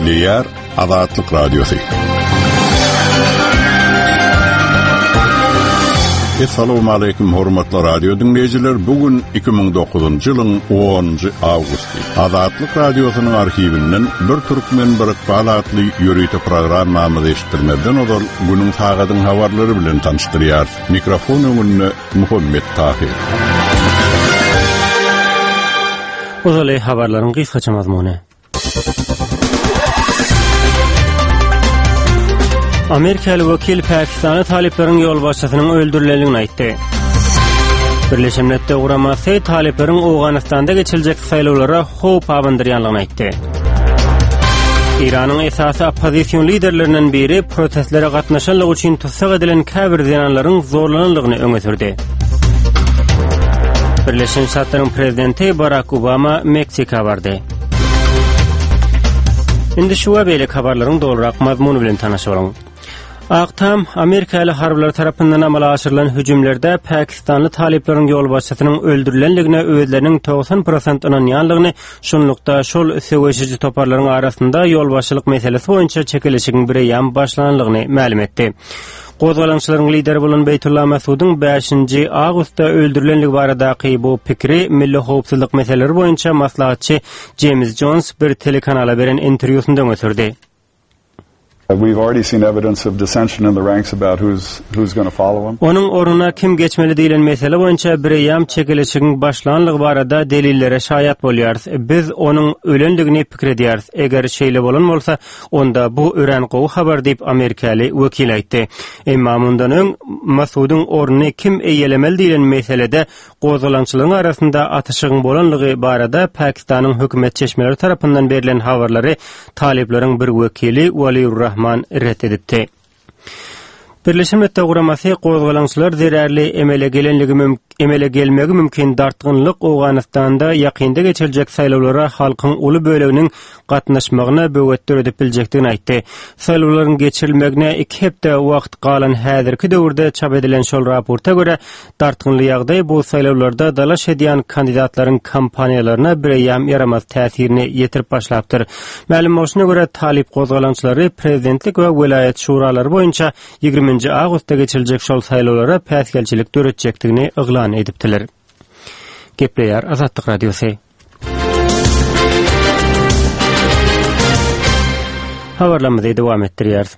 Gepleýär Azatlyk Radiosy. Assalamualaikum hormatly radio diňleýjiler. Bu gün 2009-njy ýylyň 10-njy awgusty. Azatlyk Radiosynyň arhiwinden Bir türkmen bir ykbal atly ýörite programmamyzy eşitdirmezden ozal günüň sagadyň habarlary bilen tanyşdyrýarys. Mikrofon öňünde Muhammet Tahyr. Ozaly habarlaryň gysgaça mazmuny. Amerikaly wekil Pakistana talyplaryň ýolbaşçysynyň öldürilendigini aýtdy. Birleşen Milletler Guramasy talyplaryň Owganystanda geçiriljek saýlawlara howp abandyrýanlygyny aýtdy. Eýranyň esasy oppozision liderlerinden biri protestlere gatnaşanlygy üçin tussag edilen käbir zenanlaryň zorlananlygyny öňe sürdi. Birleşen Ştatlaryň prezidenti Barak Obama Meksika bardy. Indi şu we beýleki habarlaryň dolurak mazmuny bilen tanyş boluň. Ak Tam amerikaly harbylar tarapyndan amala aşyrylan hüjümlerde pakistanly talyplaryň ýolbaşçysynyň öldürilenligine özleriniň 90 prosent ynanýanlygyny, şunlukda şol söweşiji toparlaryň arasynda ýolbaşçylyk meselesi boýunça çekeleşigiň bireýýäm başlananlygyny mälim etdi. Gozgalaňçylaryň lideri bolan Beýtulla Masudyň bäşinji awgustda öldürilenligi baradaky bu pikiri milli howpsuzlyk meseleleri boýunça maslahatçy Jeýms Jons bir telekanala beren interwýusynda öňe sürdi. Onuň ornuna kim geçmeli diýlen mesele boýunça bireýýäm çekeleşigiň başlanlygy barada delillere şaýat bolýarys. Biz onuň ölendigini pikir edýäris. Eger şeýle bolan bolsa, Onda bu örän gowy habar diýip, amerikaly wekil aýtdy. Emma mundan öň Masudyň ornuny kim eýelemeli diýlen meselede gozgalaňçylaryň arasynda atyşygyň bolanlygy barada Pakistanyň hökümet çeşmeleri tarapyndan berlen habarlary talyplaryň bir wekili Waliur Rahman ret edipdi. Birleşen Milletler Guramasy gozgalaňçylar zerarly emele gelenligi müm emele gelmegi mümkin dartgynlyk Owganystanda ýakynda geçiriljek saýlawlara halkyň uly böleginiň gatnaşmagyna böwet döredip biljekdigini aýtdy. Saýlawlaryň geçirilmegine iki hepde wagt galan häzirki döwürde çap edilen şol raporta görä, Dartgynly ýagdaý bu saýlawlarda dalaş edýän kandidatlaryň kampaniýalaryna bireýýäm ýaramaz täsirini ýetirip başlapdyr. Mälim bolşuna görä, talyp gozgalaňçylary prezidentlik we welaýat şuralary boýunça ýigriminji awgustda geçiriljek şol saýlawlara päsgelçilik döretjekdigini yglan edipdiler. Gepleýär Azatlyk Radiosy. Habarlarymyzy dowam etdirýäris.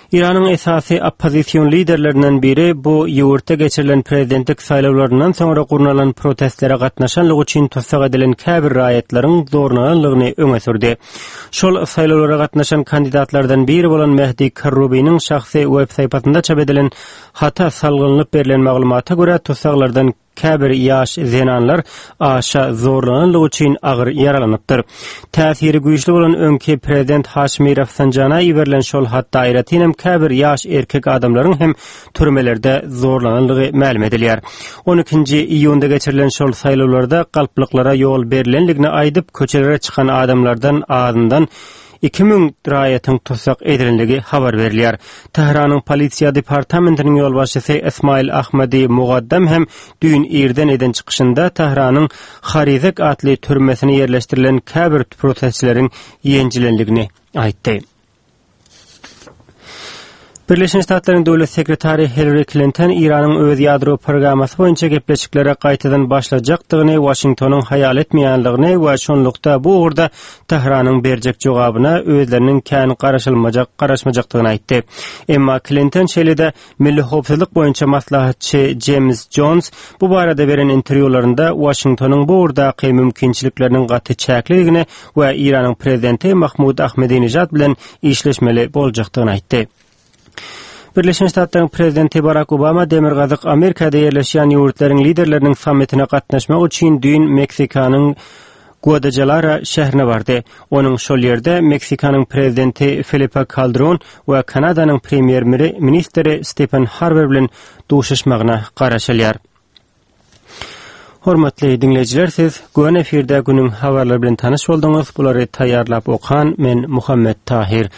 Eýranyň esasy oppozision liderlerinden biri bu ýurtda geçirilen prezidentlik saýlawlaryndan soňra gurnalan protestlere gatnaşanlygy üçin tussag edilen käbir raýatlaryň zorlananlygyny öňe sürdi. Şol saýlawlara gatnaşan kandidatlardan biri bolan Mehdi Karrubiniň şahsy web sahypasynda çap edilen hata salgylanyp berlen maglumata görä, tussaglardan Käbir ýaş zenanlar aşa zorlananlygy üçin agyr ýaralanypdyr. Täsiri güýçli bolan öňki prezident Haşimi Rafsanjana iberilen şol hatda aýratynam käbir ýaş erkek adamlaryň hem türmelerde zorlananlygy mälim edilýär. On ikinji iýunda geçirilen şol saýlawlarda galplyklara ýol berlenligini aýdyp, köçelere çykan adamlardan azyndan 2000 raýatyň tussag edilenligi habar berilýär. Tähranyň polisiýa departamentiniň ýolbaşçysy Ismail Ahmadi Mugaddam hem düýn irden eden çykyşynda Tähranyň Harizek atly türmesine ýerleşdirilen käbir protestçileriň ýenjilenligini aýtdy. Birleşen Ştatlaryň döwlet sekretary Hillari Klinton Eýranyň öz ýadro programmasy boýunça gepleşiklere gaýtadan başlajakdygyny Waşingtonyň haýal etmeýänligini we şonlukda bu ugurda Tähranyň berjek jogabyna özleriniň kän garaşylmajak garaşmajakdygyny aýtdy. Emma Klinton şeýle-de milli howpsuzlyk boýunça maslahatçy Jeýms Jons bu barada beren interwýularynda Waşingtonyň bu ugurdaky mümkinçilikleriniň gaty çäklidigini we Eýranyň prezidenti Mahmud Ahmedinejad bilen işleşmeli boljakdygyny aýtdy. Birleşen Ştatlaryň prezidenti Barak Obama Demirgazyk Amerikada ýerleşýän ýurtlaryň liderleriniň sammitine gatnaşmak üçin düýn Meksikanyň Guadalajara şäherine bardy. Onuň şol ýerde Meksikanyň prezidenti Felipe Kaldron we Kanadanyň premýer-ministri Stephen Harper bilen duşuşmagyna garaşylýar. Hormatly diňleýjiler, siz göni efirde günüň habarlary bilen tanyş bolduňyz. Bulary taýýarlap okan men Muhammet Tahyr.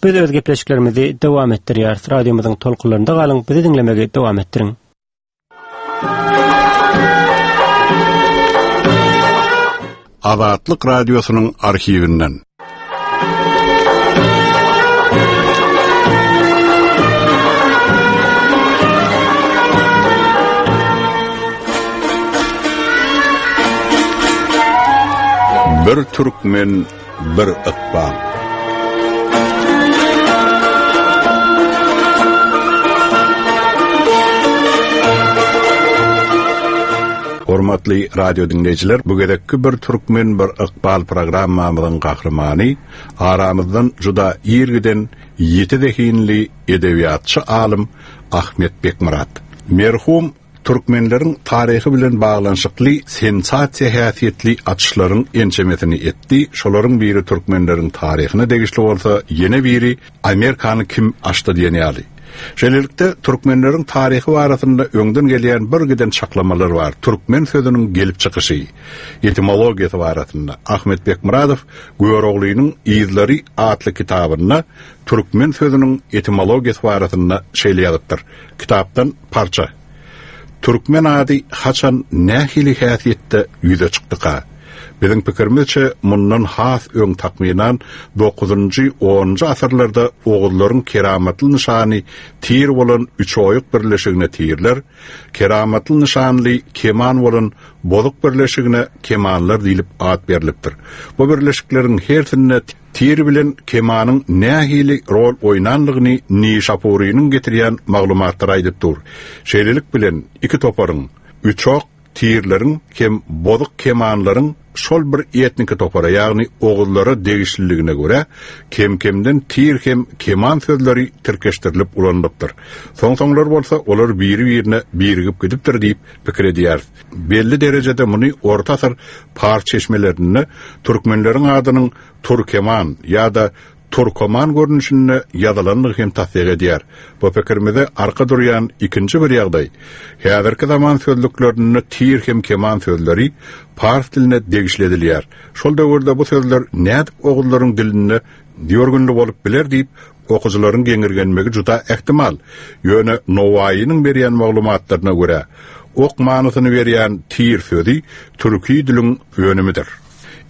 Biz öz gepleşiklerimizi dowam etdirýäris. Radiomyzyň tolkunlarynda galyň, bizi diňlemegi dowam etdiriň. Azatlyk Radiosynyň arhiwinden. Bir türkmen, bir ykbal. Hormatly radio diňleýjiler, bu gezekki Bir türkmen, bir ykbal programmamyzyň gahrymany aramyzdan juda ir giden ýiti zehinli edebiýatçy alym Ahmet Bekmyrat. Merhum türkmenleriň taryhy bilen baglanyşykly sensasiýa häsiýetli açyşlaryň ençemesini etdi, şolaryň biri türkmenleriň taryhyna degişli bolsa, ýene biri Amerikany kim açdy diýen ýaly. Şeýlelikde, türkmenleriň taryhy barasynda öňden gelýän bir giden çaklamalar bar, türkmen sözüniň gelip çykyşy, etimologiýasy barasynda Ahmet Bekmyradow Göroglynyň yzlary atly kitabynda türkmen sözüniň etimologiýasy barasynda şeýle ýazypdyr, Kitapdan parça. Türkmen ady haçan nähili häsiýetde ýüze çykdyka? Biziň pikirimizçe mundan has öň takmynan dokuzynjy, onunjy asyrlarda oguzlaryň keramatly nyşany tir bolan Üçoýuk birleşigine tirler, keramatly nyşanly keman bolan Bozuk birleşigine kemanlar diýlip at berlipdir. Bu birleşikleriň hersinde Tir bilen kemanyň nähili rol oýnanlygyny Nişapurynyň getirýän maglumatlary aýdyp dur. Şeýlelik bilen, iki toparyň, üçok tirleriň hem bozuk kemanlaryň şol bir etniki topara, ýagny oguzlara degişliligine görä, kem-kemden tir hem keman sözleri tirkeşdirilip ulanylypdyr. Soň-soňlar bolsa olar biri-birine birigip gidipdir diýip pikir edýäris. Belli derejede muny orta asyr pars çeşmelerinde türkmenleriň adynyň Turkeman ýa-da Turkoman görnüşinde ýazylandygy hem tassyk edýär. Bu pikirimize arka durýan ikinji bir ýagdaý, häzirki zaman sözlüklerinde tir hem keman sözleri pars diline degişli edilýär. Şol döwürde bu sözler nädip oguzlaryň dilinde ýörgünli bolup biler diýip, okyjylaryň geňirgenmegi juda ähtimal. Ýöne Nowaýynyň berýän maglumatlaryna görä, ok manysyny berýän tir sözi türki diliň önümidir.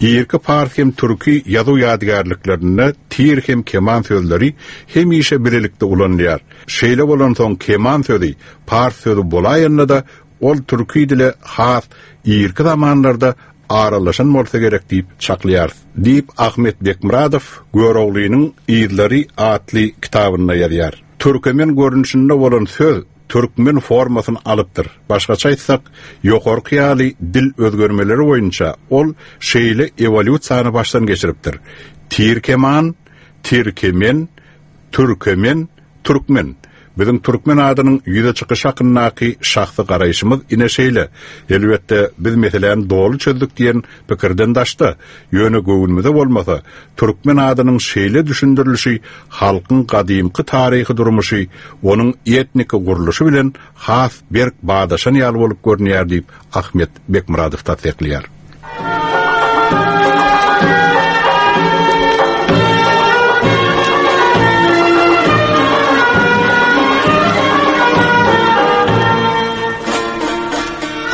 Irki pars hem türki ýazuw ýadygärliklerinde tir hem keman sözleri hemişe bilelikde ulanylýar. Şeýle bolansoň keman sözi pars sözi bolaýanda-da, ol türki dile has irki zamanlarda aralaşan bolsa gerek diýip çaklaýarys, diýip, Ahmet Bekmyradow Göroglynyň yzlary atly kitabynda ýazýar. Türkemen görnüşinde bolan söz türkmen formasyny alypdyr. Başgaça aýtsak, ýokarky ýaly dil özgermeleri boýunça ol şeýle ewolýusiýany başdan geçiripdir, tirkeman, tirkemen, türkemen, Türkmen. Biziň türkmen adynyň ýüze çykyşy hakyndaky şahsy garaýşymyz ine şeýle. Elbetde, biz meseläni doly çözdük diýen pikirden daşda. Ýöne göwnümize bolmasa, türkmen adynyň şeýle düşündirilişi halkyň gadymky taryhy durmuşy, onuň etniki gurluşy bilen has berk badaşan ýaly bolup görünýär diýip, Ahmet Bekmyradow tassyklaýar.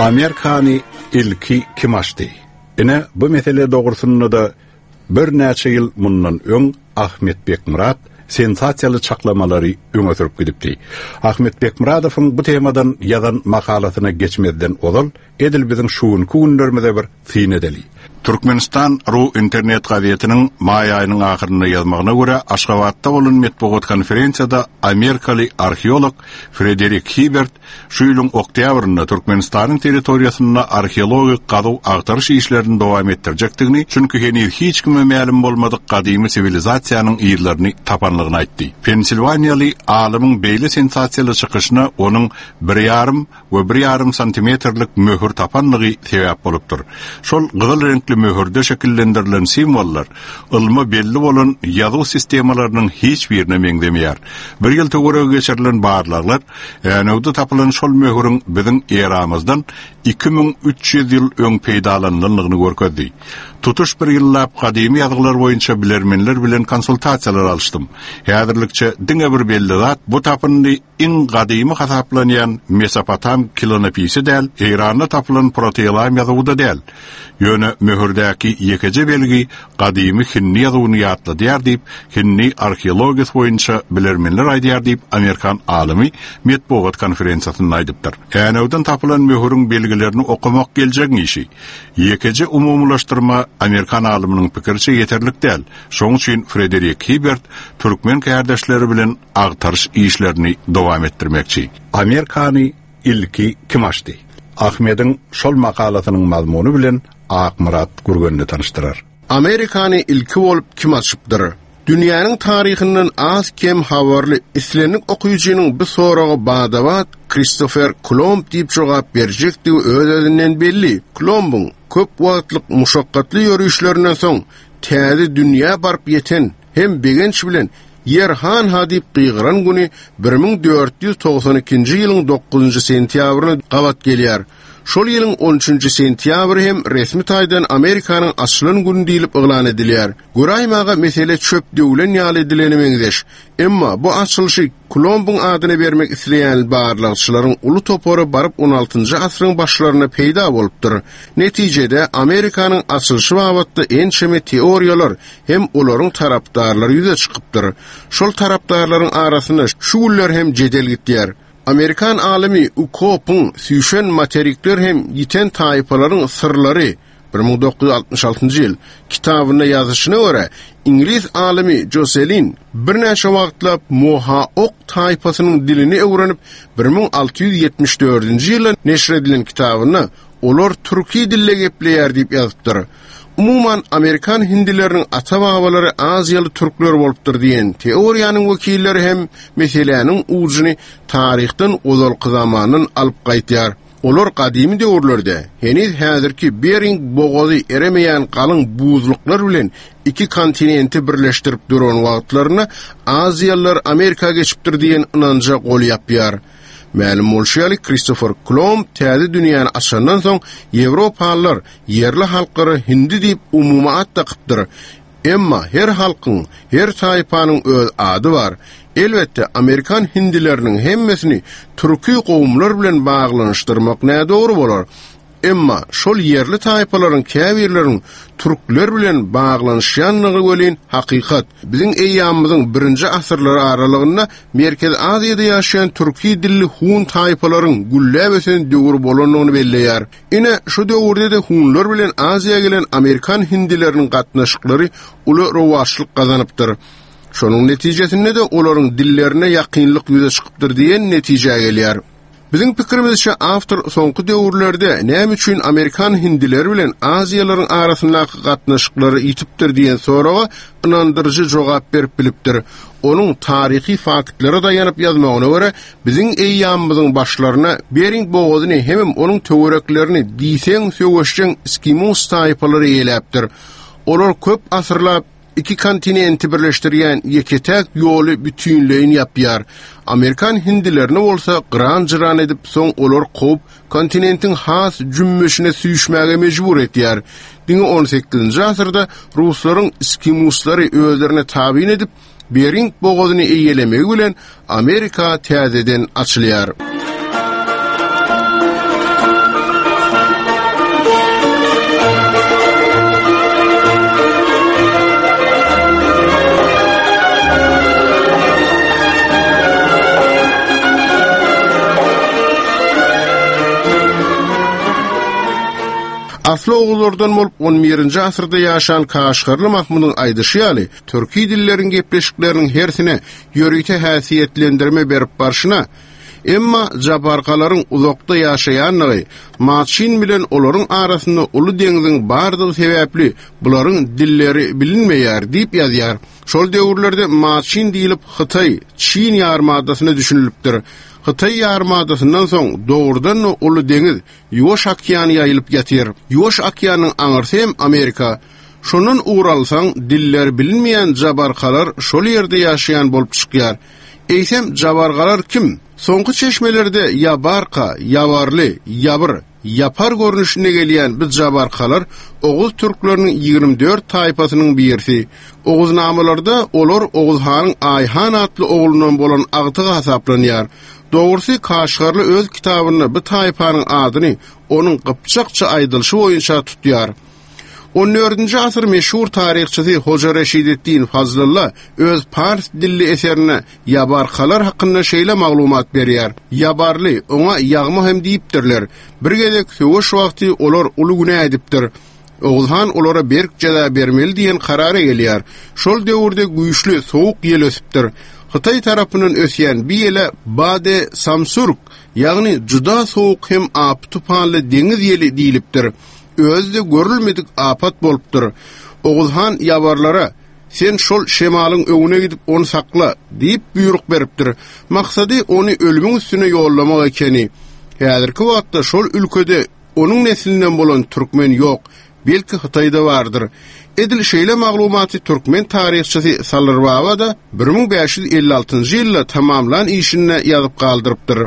Amerikany ilki kim açdy? Ine, bu mesele dogrusynda-da Birnäçe ýyl mundan öň Ahmet Bekmyrat sensasiýaly çaklamalary öňe sürüp gidipdi. Ahmet Bekmyradowyň bu temadan ýazan makalasyna geçmezden ozal, edil biziň şu günki günlerimize bir syn edeli. Türkmenistan. Ru internet gazetiniň maý aýynyň ahyrynda ýazmagyna görä, Aşgabatda bolan metbugat konferensiýada amerikaly arheolog Frederik Hibert Şu ýylyň oktýabrynda Türkmenistanyň territoriýasynda arheologik gazuw-agtaryş işlerini dowam etdirjekdigini, çünki heniz hiç kime mälim bolmadyk gadymy siwilizasiýanyň yzlaryny tapanlygyny aýtdy. Pensilwaniýaly alymyň beýle sensasiýaly çykyşyna onuň bir ýarym we bir ýarym santimetrlik möhür tapanlygy sebäp bolupdyr. Şol gyzyl reňkli möhürde şekillendirilen simwollar ylma belli bolan ýazuw sistemalarynyň hiç birine meňzemeýär. Bir ýyl töweregi geçirilen barlaglar Änewde tapylan şol möhüriň biziň eramyzdan 2300 ýyl öň peýdalanylandygyny görkezdi. Tutuş bir ýyllap gadymy ýazgylar boýunça bilermenler bilen konsultasiýalar alyşdym. Häzirlikçe diňe bir belli zat, bu tapyndy iň gadymy hasaplanýan Mesopotam kilonopisi däl, Eýranda tapylan proteelam ýazuwy-da däl. Ýöne möhürdäki ýekeje belgi gadymy hindi ýazuwyny ýatladýar diýip, hindi arheologiýasy boýunça bilermenler aýdýar diýip, amerikan alymy metbugat konferensiýasynda aýdypdyr. Änewden tapylan möhüriň belgilerini okamak geljegiň işi. Ýekeje umumylaşdyrma amerikan alymynyň pikiriçe ýeterlik däl. Şonuň üçin Frederik Hibert türkmen kärdeşleri bilen agtaryş işlerini dowam etdirmekçi. Amerikany ilki kim açdy? Ahmediň şol makalasynyň mazmuny bilen Akmyrat Gürgenli tanyşdyrar. Amerikany ilki bolup kim açypdyr? Dünýäniň taryhyndan az-kem habarly islendik okyjynyň bu soraga bada-bat Kristofer Kolumb diýip jogap berjekdigi öz-özünden belli. Kolumbyň köp wagtlyk muşakgatly ýörişlerinden soň täze dünýä baryp ýeten hem begenç bilen Ýer han-ha diýip gygyran güni 1492-nji ýylyň dokuzynjy sentýabryna gabat gelýär. Şol ýylyň on üçünji sentýabry hem resmi taýdan Amerikanyň açylan güni diýlip yglan edilýär. Göräýmäge mesele çöp döwlen ýaly edilene meňzeş. Emma bu açylyşy Kolumbyň adyna bermek isleýän barlagçylaryň uly topary baryp on altynjy asyryň başlarynda peýda bolupdyr. Netijede, Amerikanyň açylyşy babatda ençeme teoriýalar hem olaryň tarapdarlary ýüze çykypdyr. Şol tarapdarlaryň arasynda şu günler hem jedel gitýär. Amerikan alymy Ukopyň Süýşen materikler hem ýiten taýpalaryň syrlary, 1966-njy ýyl, kitabynda ýazyşyna görä, iňlis alymy Joselin birnäçe wagtlap mohaok taýpasynyň dilini öwrenip, 1674-nji ýylda neşir edilen kitabynda Olar türki dilde gepleýär diýip ýazypdyr. Umuman, amerikan hindileriniň ata-babalary aziýaly türkler bolupdyr diýen teoriýanyň wekilleri hem meseläniň ujuny taryhdan ozalky zamandan alyp gaýtýar. Olar gadymy döwürlerde, heniz häzirki Bering bogazy eremeýän galyň buzluklar bilen iki kontinenti birleşdirip duran wagtlarynda aziýalylar Amerika geçipdir diýen ynanja gol ýapýar. Mälim bolşy ýaly, Kristofer Kolumb täze dünýäni açandan soň, ýewropalylar ýerli halklara hindi diýip umumy at dakypdyr. Emma her halkyň, her taýpanyň öz ady bar. Elbetde, amerikan hindileriniň hemmesini türki kowumlar bilen baglanyşdyrmak nädogry bolar. Emma şol ýerli taýpalaryň käbirleriniň türkler bilen baglanyşýanlygy welin hakykat. Biziň eýýamymyzyň birinji asyrlary aralygynda Merkezi Aziýada ýaşaýan türki dilli hun taýpalaryň gülläp ösen döwri bolandygyny belleýär. Ine, şu döwürde-de hunlar bilen Aziýa gelen amerikan hindileriniň gatnaşyklary uly rowaçlyk gazanypdyr. Şonuň netijesinde-de olaryň dillerine ýakynlyk ýüze çykypdyr diýen netijä gelýär. Biziň pikirimizçe awtor soňky döwürlerde näme üçin amerikan hindileri bilen aziýalaryň arasyndaky gatnaşyklary ýitipdir diýen soraga ynandyryjy jogap berip bilipdir. Onuň taryhy faktlara daýanyp ýazmagyna görä, biziň eýýamymyzyň başlarynda Bering bogazyny hemem onuň töwereklerini diýseň söweşjeň skimus taýpalary eýeläpdir. Olar köp asyrlap Iki kontinenti birleşdirýän ýeke-täk ýoly bütinleýin ýapýar. Amerikan hindilerini bolsa gyran-jyran edip, soň olar kowup, kontinentiň has jümmüşine süýşmäge mejbur etýär. Diňe on sekizinji asyrda ruslaryň iskimuslary özlerine tabyn edip, Bering bogazyny eýelemegi bilen Amerika täzeden açylýar. Asly oguzlardan bolup on birinji asyrda ýaşan Kaşgarly Mahmudyň aýdyşy ýaly, türki dilleriň gepleşikleriniň hersine ýörite häsiýetlendirme berip barşyna, emma jabarkalaryň uzakda ýaşaýandygy, Maçyn bilen olaryň arasynda uly deňziň bardygy sebäpli bularyň dilleri bilinmeýär diýip ýazýar. Şol döwürlerde Maçyn diýlip Hytaý, Çin ýarymadasyna düşünilipdir. Hytaý ýarymadasyndan soň dogrudan-da uly deňiz, Ýuwaş okean ýaýylyp ýatyr. Ýuwaş okeanyň aňyrsy hem Amerika. Şondan ugur alsaň, dilleri bilinmeýän jabarkalar şol ýerde ýaşaýan bolup çykýar. Eýsem, jabargalar kim? Soňky çeşmelerde ýabarka, ýabarly, ýabyr. Ýapar görnüşinde gelýän bu jabarkalar oguz türkleriniň 24 taýpasynyň birisi. Oguznamalarda olar Oguz hanyň Aýhan atly oglundan bolan agtygy hasaplanýar. Dogrusy, Kaşgarly öz kitabynda bu taýpanyň adyny onuň gypjakça aýdylyşy boýunça tutýar. On dördünji asyr meşhur taryhçysy Hoja Reşideddin Fazlylla öz pars dilli eserinde ýabarkalar hakynda şeýle maglumat berýär, Ýabarly, oňa ýagma hem diýipdirler. Bir gezek söweş wagty olar uly günä edipdir. Oguz han olara berk jeza bermeli diýen karara gelýär. Şol döwürde güýçli sowuk ýel ösüpdir. Hytaý tarapyndan ösýän bi ýele Bade Samsurk, ýagny juda sowuk hem apy-tupanly deňiz ýeli diýlipdir. Özi-de görülmedik apat bolupdyr. Oguz han ýabarlara, Sen şol şemalyň öňüne gidip ony sakla! diýip buýruk beripdir. Maksady ony ölümiň üstüne ýollamak ekeni. Häzirki wagtda şol ülkede onuň neslinden bolan türkmen ýok, belki Hytaýda bardyr. Edil şeýle maglumaty türkmen taryhçysy Salyr Baba-da 1556-njy ýylda tamamlan işinde ýazyp galdyrypdyr.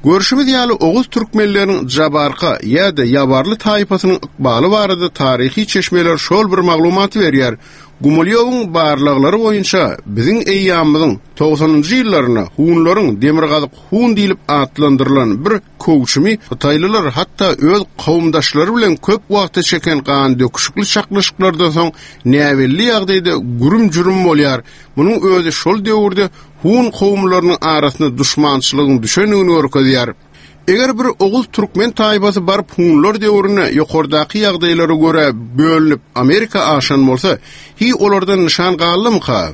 Görşümiz ýaly, oguz türkmenleriniň jabarka ýa-da ýabarly taýpasynyň ykbaly barada taryhy çeşmeler şol bir maglumaty berýär. Gumilýowyň barlaglary boýunça biziň eýýamymyzyň togsanynjy ýyllarynda hunlaryň Demirgazyk hun diýlip atlandyrylan bir kowçumy hytaýlylar hatda öz kowumdaşlary bilen köp wagta çeken gandöküşikli çaknyşyklardan soň näbelli ýagdaýda gürüm-jürüm bolýar. Munuň özi şol döwürde hun kowumlarynyň arasynda duşmançylygyň düşendigini görkezýär. Eger bir oguz türkmen taýpasy baryp hunlar döwründe ýokardaky ýagdaýlara görä bölünip Amerika aşan bolsa, hiý olardan nyşan galdymyka?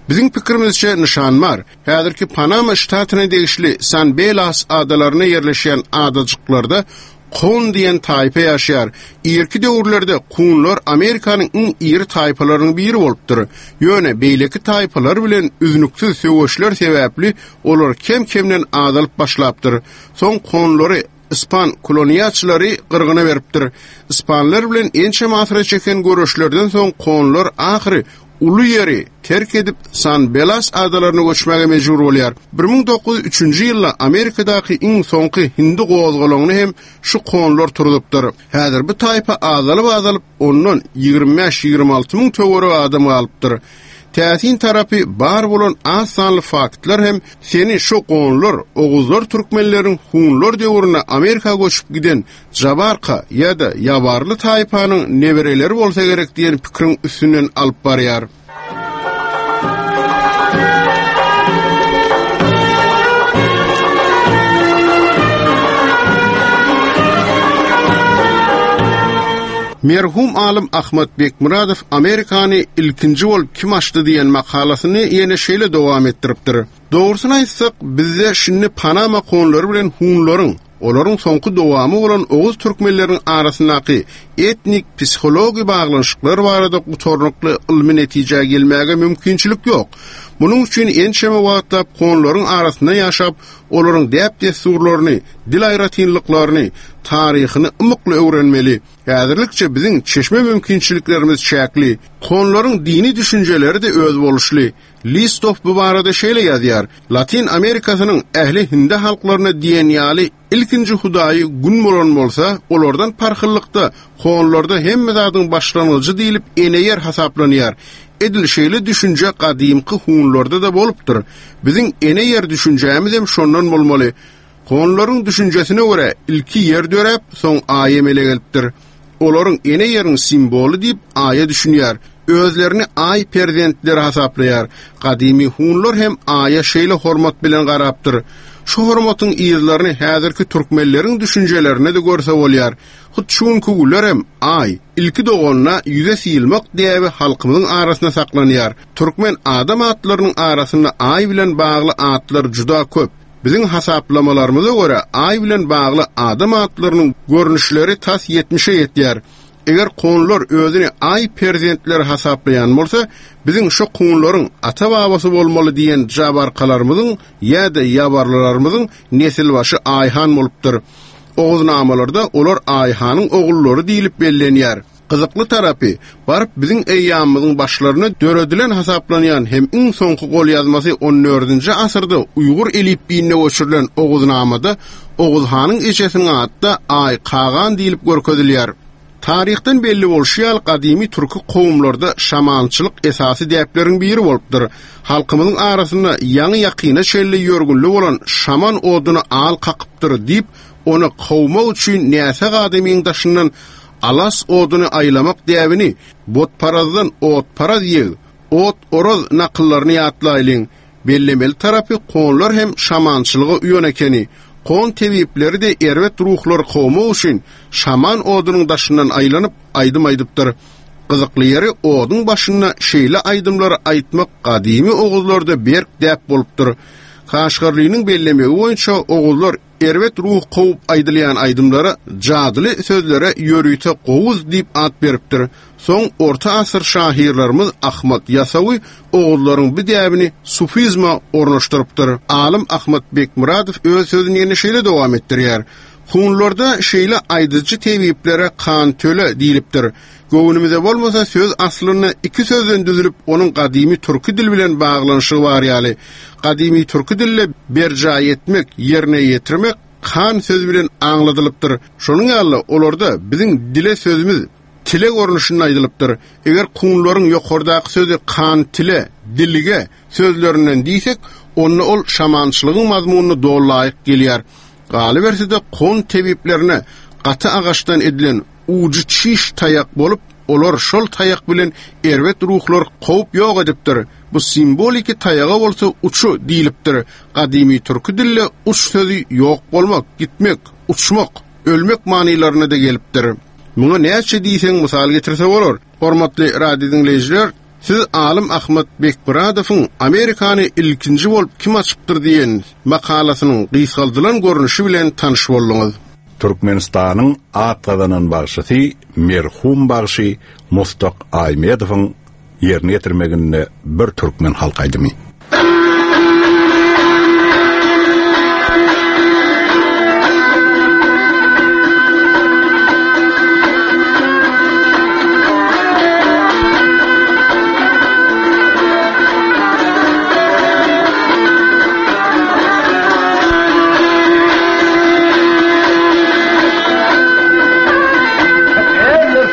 Biziň pikirimizçe nyşan bar. Häzirki Panama ştatyna degişli San Belas adalarynda ýerleşýän adajyklarda Kun diýen taýpa ýaşaýar. Irki döwürlerde kunlar Amerikanyň iň iri taýpalarynyň biri bolupdyr. Ýöne beýleki taýpalar bilen üznüksiz söweşler sebäpli olar kem-kemden azalyp başlapdyr. Soň kunlary ispan koloniýaçylary gyrgyna beripdir. Ispanlar bilen ençeme asyra çeken göreşlerden soň kunlar ahyry uly ýeri terk edip, San Belas adalaryna göçmäge mejbur bolýar. 1903-nji ýylda Amerikadaky iň soňky hindi gozgalaňyny hem şu konlar turuzupdyr. Häzir bu taýpa azalyp-azalyp, ondan 25-26 müň töweregi adam galypdyr. Täsin tarapy, bar bolan az sanly faktlar hem seni şu gonlar, oguzlar türkmenleriň hunlar döwründe Amerika göçüp giden Jabarka ýa-da Ýabarly taýpanyň nebereleri bolsa gerek diýen pikiriň üstünden alyp barýar. Merhum alym Ahmat Bekmyradow Amerikany ilkinji bolup kim açdy diýen makalasyny ýene şeýle dowam etdiripdir. Dogrusyny aýtsak, bizde şindi Panama konlary bilen hunlaryň, olaryň soňky dowamy bolan oguz türkmenleriniň arasyndaky etnik psihologi baglanyşyklar barada gutarnykly ylmy netijä gelmäge mümkinçilik ýok. Munuň üçin ençeme wagtlap konlaryň arasynda ýaşap, olaryň däp-dessurlaryny, dil aýratynlyklaryny, taryhyny ymykly öwrenmeli. Häzirlikçe biziň çeşme mümkinçiliklerimiz çäkli. Konlaryň dini düşünjeleri-de özboluşly. Listow bu barada şeýle ýazýar, Latyn Amerikasynyň ähli hindi halklaryna diýen ýaly ilkinji hudaýy Gün bolan bolsa, olardan parhlylykda, honlarda hemme zadyň başlangyjy diýlip ene ýer hasaplanýar. Edil şeýle düşünje gadymky hunlarda-da bolupdyr. Biziň ene ýer düşünjämizem şondan bolmaly. Honlaryň düşünjesine görä, ilki ýer döräp, soň Aý emele gelipdir. Olaryň ene ýeriň simwoly diýip Aýa düşünýär. Özlerini Aý perzentleri hasaplaýar. Gadymy hunlar hem Aýa şeýle hormat bilen garapdyr. Şu hormatyň yzlaryny häzirki türkmenleriň düşünjelerinde-de görse bolýar. Hut şu günki günlerem Aý, ilki doganda ýüze syýylmak däbi halkymyzyň arasynda saklanýar. Türkmen adam atlarynyň arasynda Aý bilen bagly atlar juda köp. Biziň hasaplamalarymyza görä, Aý bilen bagly adam atlarynyň görnüşleri tas ýetmişe ýetýär. Eger kunlar özüni Aý perzentleri hasaplaýan bolsa, biziň şo kunlaryň ata-babasy bolmaly diýen jabarkalarymyzyň ýa-da ýabarlylarymyzyň nesilbaşy Aýhan bolupdyr. Oguznamalarda olar Aýhanyň ogullary diýlip bellenýär. Gyzykly tarapy, baryp biziň eýýamymyzyň başlarynda döredilen hasaplanýan hem iň soňky golýazmasy on dördünji asyrda uýgur elipbiýinde göçürilen Oguznamada Oguz hanyň ejesiniň ady-da Aý Kagan diýlip görkezilýär. Taryhdan belli bolşy ýaly, gadymy türki kowumlarda şamançylyk esasy däpleriň biri bolupdyr. Halkymyzyň arasynda ýaňy-ýakyna çenli ýörgünli bolan şaman oduna al kakypdyr diýip, ony kowmak üçin näsag adamyň daşyndan alas oduny aýlamak däbini Botparazdan otparaz ýeg, ot oraz nakyllaryny ýatlaýlyň. Bellemeli tarapy, konlar hem şamançylyga uýan ekeni. Kon tebipleri-de erbet ruhlary kowmak üçin şaman odunyň daşyndan aýlanyp, aýdym aýdypdyr. Gyzykly ýeri, oduň başynda şeýle aýdymlary aýtmak gadymy oguzlarda berk däp bolupdyr. Kaşgarlynyň bellemegi boýunça, oguzlar Erbet ruh kowup aýdylýan aýdymlara jadyly sözlere ýörite gowuz diýip at beripdir. Soň orta asyr şahyrlarymyz Ahmat Ýasawy oguzlaryň bu däbini sufizme ornaşdyrypdyr. Alym Ahmat Bekmyradow öz sözüni ýene şeýle dowam etdirýär, Hunlarda şeýle aýdyjy tebiplere kan-töle diýlipdir. Göwnümize bolmasa, söz aslynda iki sözden düzülip, onuň gadymy türki dil bilen baglanyşygy bar ýaly. Gadymy türki dilde berjaý etmek, ýerine ýetirmek kan sözi bilen aňladylypdyr. Şonuň ýaly-da, olarda biziň dile sözümiz tile görnüşinde aýdylypdyr. Eger kunlaryň ýokardaky sözi kan-tile, dilge sözlerinden diýsek, onda ol şamançylygyň mazmunyna doly laýyk gelýär. Galyberse-de, kun tebiplerine gaty agaçdan edilen Ujy çiş taýak bolup, olar şol taýak bilen erbet ruhlary kowup ýok edipdir. Bu simwoliki taýaga bolsa uçu diýlipdir. Gadymy türki dilde uç sözi ýok bolmak, gitmek, uçmak, ölmek manylarynda-da gelipdir. Muňa näçe diýseň mysal getirse bolar. Hormatly radio diňleýjiler, siz alym Ahmet Bekmyradowyň Amerikany ilkinji bolup kim açypdyr diýen makalasynyň gysgaldylan görnüşi bilen tanyş bolduňyz. Türkmenistanyň at gazanan bagşysy merhum bagşy Mustak Aýmedowyň ýerine ýetirmeginde bir türkmen halk aýdymy.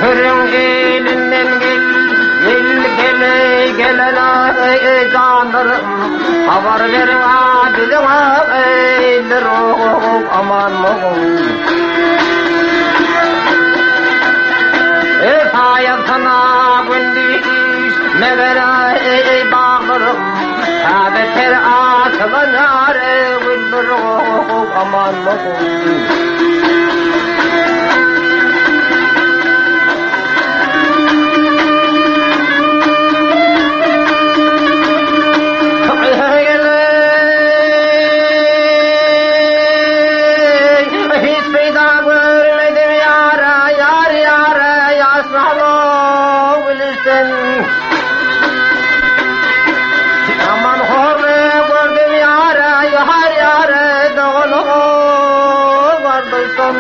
Ömrüň elinden gel, gel, gel, gelen eý janlarym, habar beriň a biziň eýler aman Eý saýasyna gündiz meger eý baglarym, täze ter açylan ýar güller aman Hiç peýda görmedim ýara, ýar ýara, ýaşmaly gülüşden. Aman horly gördüm ýara, ýar ýara, dogalygy bardyrsam.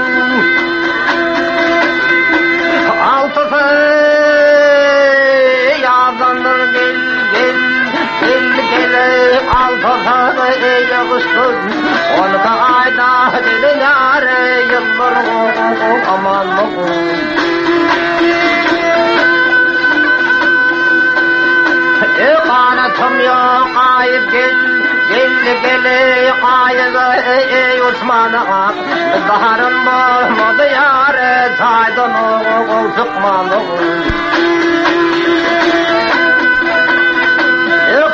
Altysy ýazandyr gel, gel, gel, gel, altysy ýygyşdyr. Onka aýda gelen ýary ýyllar aman E ganatym ýok aýyp gel, gel, gel, gaýyp eý uçmana. Baharym bolmady ýary jaýdan ogul çykmana.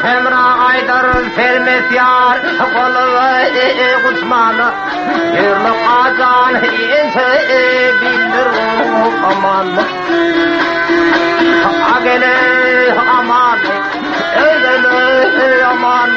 Hemra aýdar sermes ýar goly guçmana. Ýürlük ajan inçe bildir aman. Agele aman Eylele aman.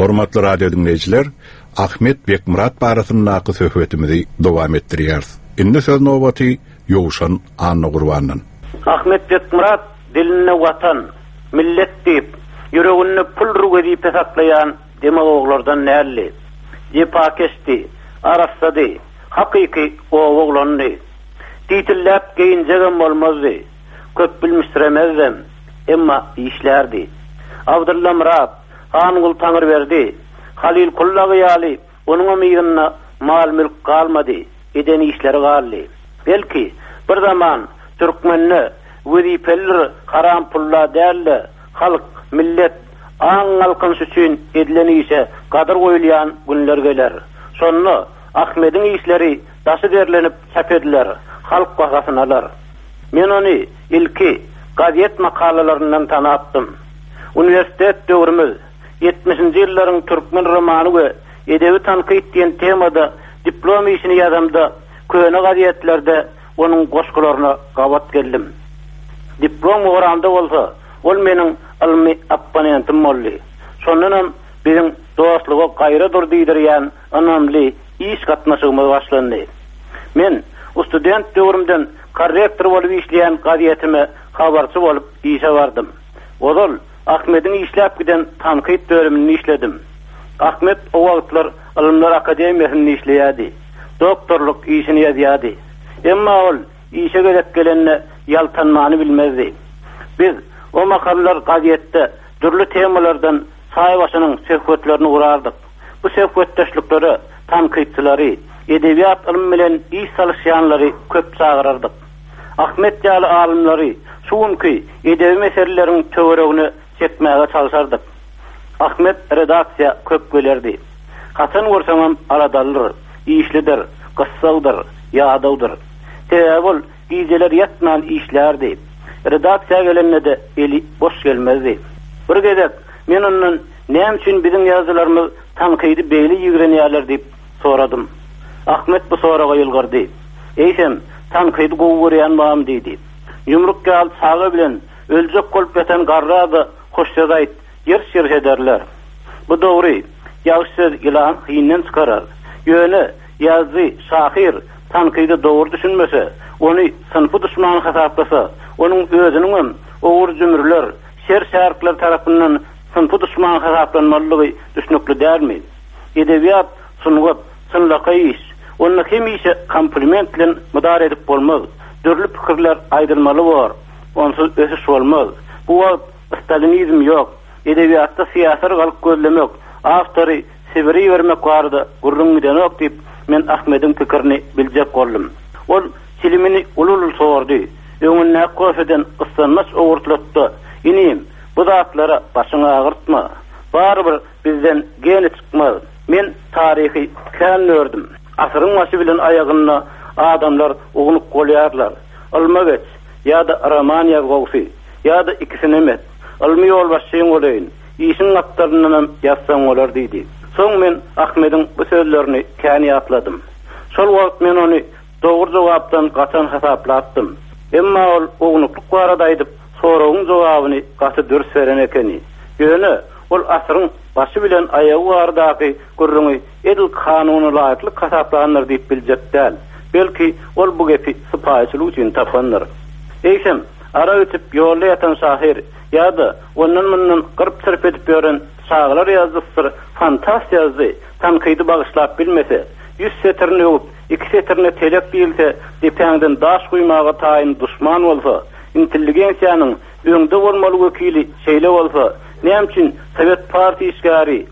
Hormatly radio diňleýjiler, Ahmet Bekmyrat barasyndaky söhbetimizi dowam etdirýäris. Indi söz nobaty Ýowşan Annagurbandan. Ahmet Bekmyrat dilinde Watan, millet diýip, ýüreginde puldyr wezipe saklaýan demagoglardan däldi. Jepakeşdi, arassady, hakyky oba oglanydy. Titilläp geýinjegem bolmazdy, köp bilmişsiremezdem, emma işlärdi. Abdylla Myrat, Hangul Taňryberdi, Halyl Kullagy ýaly onuňam yzynda mal-mülk galmady, eden işleri galdy. Belki, bir zaman türkmende wezipelidir haram pulla däl-de, halk, millet, aň galkynyşy üçin edilen işe gadyr goýulýan günler geler. Şonda Ahmediň işleri daşy zerlenip çap ediler, halk bahasyny alar. Men ony ilki gazet makalalaryndan tanapdym. Uniwersitet döwrümiz, ýetmişinji ýyllaryň türkmen romany we edebi tankyt diýen temada diplom işini ýazamda köne gazetlerde onuň goşgularyna gabat geldim. Diplom goramda bolsa ol meniň ylmy opponentim boldy. Şondanam biziň dostluga gaýra dur diýdirýän ynamly iş gatnaşygymyz başlandy. Men student döwrümden korrektor bolup işleýän gazetime habarçy bolup işe bardym. Ozal Ahmediň işläp giden tankyt bölüminde işledim. Ahmet o wagtlar Ylymlar akademiýasynda işleýärdi. Doktorlyk işini ýazýardy. Emma ol işe gezek gelende ýaltanmany bilmezdi. Biz o mahallar gazetde dürli temalardan çaý başynyň söhbetlerini gurardyk. Bu söhbetdeşliklere tankytçylary, edebiýat ylmy bilen iş salyşýanlary köp çagyrardyk. Ahmet ýaly alymlary şu günki edebi meseleleriň töweregine çekmäge çalşardyk. Ahmet redaksiýa köp gelerdi. Haçan görseňem aladalydyr, işlidir, gyssagdyr, ýadawdyr. Sebäbi ol gijeler ýatman işlärdi. Redaksiýa gelende-de eli boş gelmezdi. Bir gezek men ondan näme üçin biziň ýazyjylarymyz tankydy beýle ýigrenýärler diýip soradym. Ahmet bu soraga ýylgyrdy. Eýsem, tankydy gowy görýän barmy diýdi. Ýumruk ýaly çaga bilen öljek bolup ýatan garra-da hoş söz aýt, ýyrş-ýyrş ederler. Bu dogry, ýagşy söz ýylany hinden çykarar. Ýöne, ýazyjy, şahyr tankyda dogry düşünmese, ony synpy duşman hasaplasa, onuň özüniňem ogry-jümrüler, şer-şärikler tarapyndan synpy duşman hasaplanmalydygy düşnükli dälmi? Edebiýat, sungat, çynlakaý iş. Onda hemişe kompliment bilen mydar edip bolmaz. Dürli pikirler aýdylmaly bor. Onsuz ösüş bolmaz. Bu wagt stalinizm ýok. Edebiýatda syýasy yrgalyk gözlemek, awtory Sibire ibermek barada gürrüň gidenok diýip, men Ahmediň pikirini biljek boldum. Ol çilimini uly-uly sordy. Öňündäki kofeden gyssanmaç owurtlatdy-da, Inim, bu zatlara başyňy agyrtma. Barybir bizden geni çykmaz. Men taryhy kän gördüm. Asyryň başy bilen aýagynda adamlar ownuk bolýarlar. Ylma geç, ýa-da roman ýaz gowsy, ýa-da ikisinem et. Ylmy ýolbaşçyň bolaýyn, işiň gapdalyndanam ýazsaň bolar diýdi. Soň men Ahmediň bu sözlerini kän ýatladym. Şol wagt men ony dogry jogapdan gaçan hasaplapdym. Emma ol ownuklyk barada aýdyp, soragyň jogabyny gaty dürs beren ekeni. Ýöne ol asyryň başy bilen aýagy baradaky gürrüňi edil kanunalaýyklyk hasaplandyr diýip biljek däl. Belki, ol bu gepi sypaýyçylyk üçin tapandyr. Eýsem, arak içip ýolda ýatan şahyr ýa-da ondan-mundan gyrp-çyrp edip ýören çagalar ýazyjysydyr fantast ýazyjy tankydy bagyşlap bilmese, ýüz setirini öwüp, iki setirine telek diýilse, depäňden daş guýmaga taýyn duşman bolsa, intelligensiýanyň öňde bolmaly wekili şeýle bolsa, näme üçin sowet partiýa işgäri,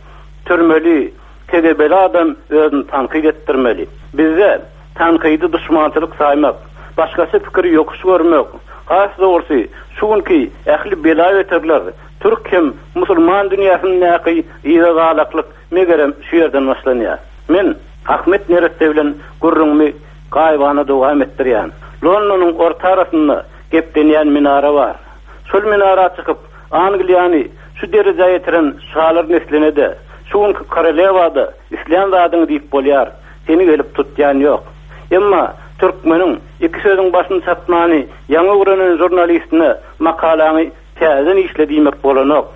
türmeli, KGB-li adam özüni tankyt etdirmeli? Bizde tankydy duşmançylyk saýmak, başgaça pikiri ýokuş görmek, has dogrusy, şu günki ähli bela-beterler, türk hem musulman dünýäsindäki yzagalaklyk megerem şu ýerden başlanýar. Men Ahmet neresse bilen gürrüňimi gaýybana dowam etdirýän. Londonyň orta arasynda geplenýän minara bar. Şol minara çykyp, Angliýany şu derejä ýetiren şalar nesline-de, şu günki korolewa-da islän zadyňy diýip bolýar, seni gelip tutýan ýok. Emma türkmeniň iki sözüň başyny çatmany ýaňy öwrenen žurnalistine makalaňy täzeden işle diýmek bolanok.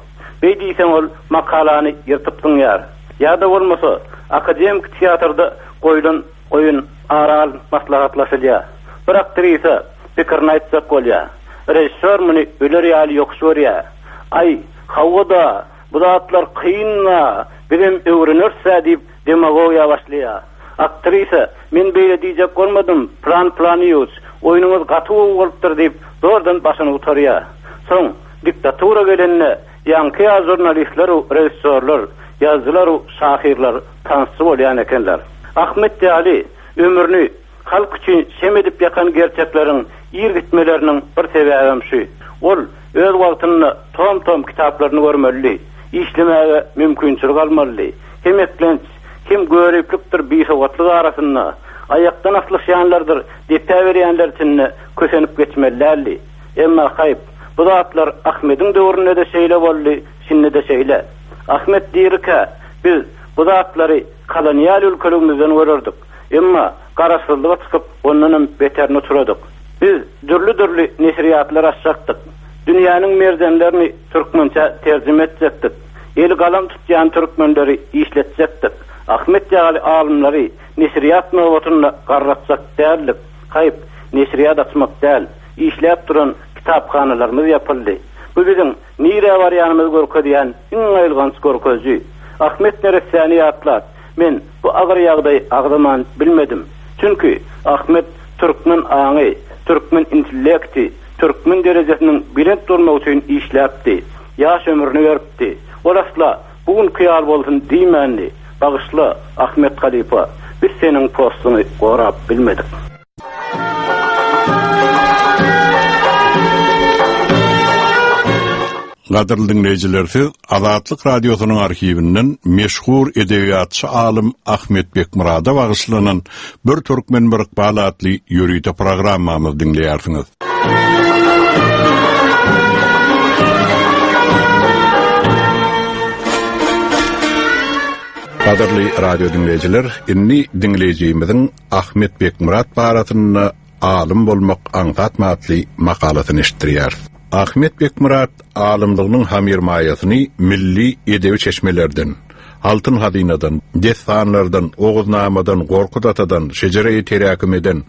Beý diýseň ol makalany ýyrtyp zyňýar. Ýa-da bolmasa, akademiki teatrda goýlan oýun ara alnyp maslahatlaşylýar. Bir aktrisa pikirini aýtjak bolýar. Režissýor muny öler ýaly ýokuş görýär. Aý, hawa-da, bu zatlar kyn-da, bizem öwreneris-ä diýip demagogiýa başlaýar. Aktrisa, Men beýle diýjek bolmadym, Plan Planyýewiç, oýnuňyz gaty gowy bolupdyr diýip, zordan başyny gutarýar. Soň, diktatura gelende, ýaňky ýaly žurnalistler-u režissýorlar, ýazyjylar-u şahyrlar tansçy bolýan ekenler. Ahmet ýaly, ömrüni halk üçin şem edip ýakan gerçekleriň ir gitmeleriniň bir sebäbem şu. Ol öz wagtynda tom-tom kitaplaryny görmelidi, işlemäge mümkinçilik almalydy. Hem eklenç, hem göriplikdir bisowatlyk arasynda, aýakdan aslyşýanlardyr depä berýänler içinde kösenip geçmeli däldi. Emma haýp, bu zatlar Ahmediň döwründe-de şeýle boldy, şindi-de şeýle. Ahmet dirikä, biz bu zatlary kolonial ülkeligimizden görerdik. Emma garaşsyzlyga çykyp, ondanam beterine uçradyk. Biz dürli-dürli neşirýatlar açjakdyk. Dünýäniň merjenlerini türkmençä terjime etjekdik. Eli galam tutýan türkmenleri işletjekdik. Ahmet ýaly alymlary neşirýat nobatynda garratjak däldik. Haýp, neşirýat açmak däl, işläp duran kitaphanalarymyz ýapyldy. Bu biziň nirä barýanymyzy görkezýän iň aýylganç görkeziji. Ahmet neressäni ýatlap, men bu agyr ýagdaýy agzaman bilmedim. Çünki Ahmet türkmen aňy, türkmen intellekti, türkmen derejesiniň belent bolmagy üçin işläpdi. Ýaş ömrüni beripdi. Ol asla bu günki ýaly bolsun diýmändi. Bagyşla, Ahmet halypa, biz seniň postuňy gorap bilmedik. Gadyrly diňleýjiler, siz Azatlyk Radiosynyň arhiwinden meşhur edebiýatçy alym Ahmet Bekmyrada bagyşlanan Bir türkmen bir ykbal atly ýörite programmamyzy diňleýärsiňiz. Gadyrly radio diňleýjiler, indi diňleýjimiziň Ahmet Bekmyrat barasynda Alym bolmak aňsatmy atly makalasyny eşitdirýäris. Ahmet Bekmyrat alymlygynyň hamyrmaýasyny milli edebi çeşmelerden, Altyn hazynadan, dessanlardan, Oguznamadan, Gorkut atadan, Şejereýi teräkimeden,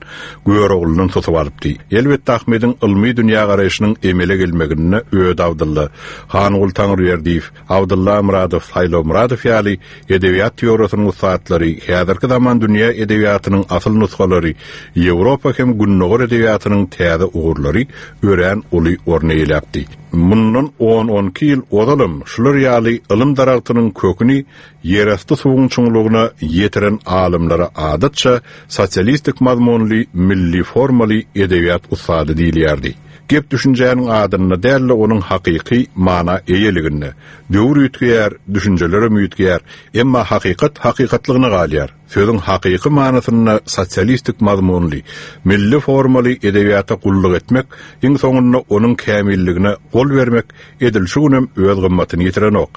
Görogludan susup alypdy. Elbetde Ahmediň ylmy dünýägaraýşynyň emele gelmeginde Öde Abdylla, Hanguly Taňryberdiýew, Abdylla Myradow, Saýlaw Myradow ýaly edebiýat teoriýasynyň ussatlary, häzirki zaman dünýä edebiýatynyň asyl nusgalary, Ýewropa hem Gündogar edebiýatynyň täze ugurlary örän uly orun eýeläpdi. Mundan on-on iki ýyl ozalam şular ýaly ylym daragtynyň köküni ýerasty suwuň çuňlugyna ýetiren alymlara adatça sosialistik mazmunly milli formaly edebiýat ussady diýilýärdi. Gep düşünjäniň adynda däl-de onuň hakyky mana eýeliginde. Döwür üýtgeýär, düşünjelerem üýtgeýär, emma hakykat hakykatlygyna galýar. Sözüň hakyky manysynda sosialistik mazmunly, milli formaly edebiýata gulluk etmek, iň soňunda onuň kämilligine gol bermek edil şu günem öz gymmatyny ýitirenok.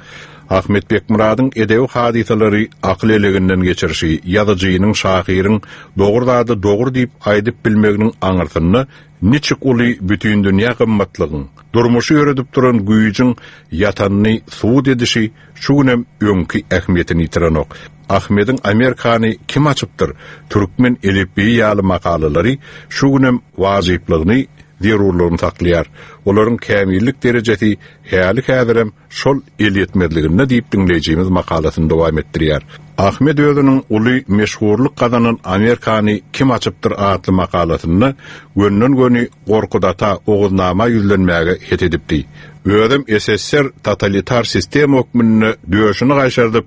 Ahmet Bekmyradyň edebi hadysalary akyl eleginden geçirişi, ýazyjynyň, şahyryň dogry zady dogry diýip aýdyp bilmeginiň aňyrsynda niçik uly bütindünýä gymmatlygyň, durmuşy ýöredip duran güýjüň ýatanyny subut edişi şu günem öňki ähmiýetini ýitirenok. Ahmediň Amerikany kim açypdyr, Türkmen elipbiýi ýaly makalalary şu günem wajyplygyny, zerurlygyny saklaýar. Olaryň kämillik derejesi häli-häzirem şol elýetmezliginde diýip diňleýjimiz makalasyny dowam etdirýär. Ahmet özüniň uly meşhurlyk gazanan Amerikany kim açypdyr atly makalasynda gönden-göni Gorkut ata Oguznama ýüzlenmäge het edipdi. Özem SSR totalitar sistema hökmünde döşüni gaýşardyp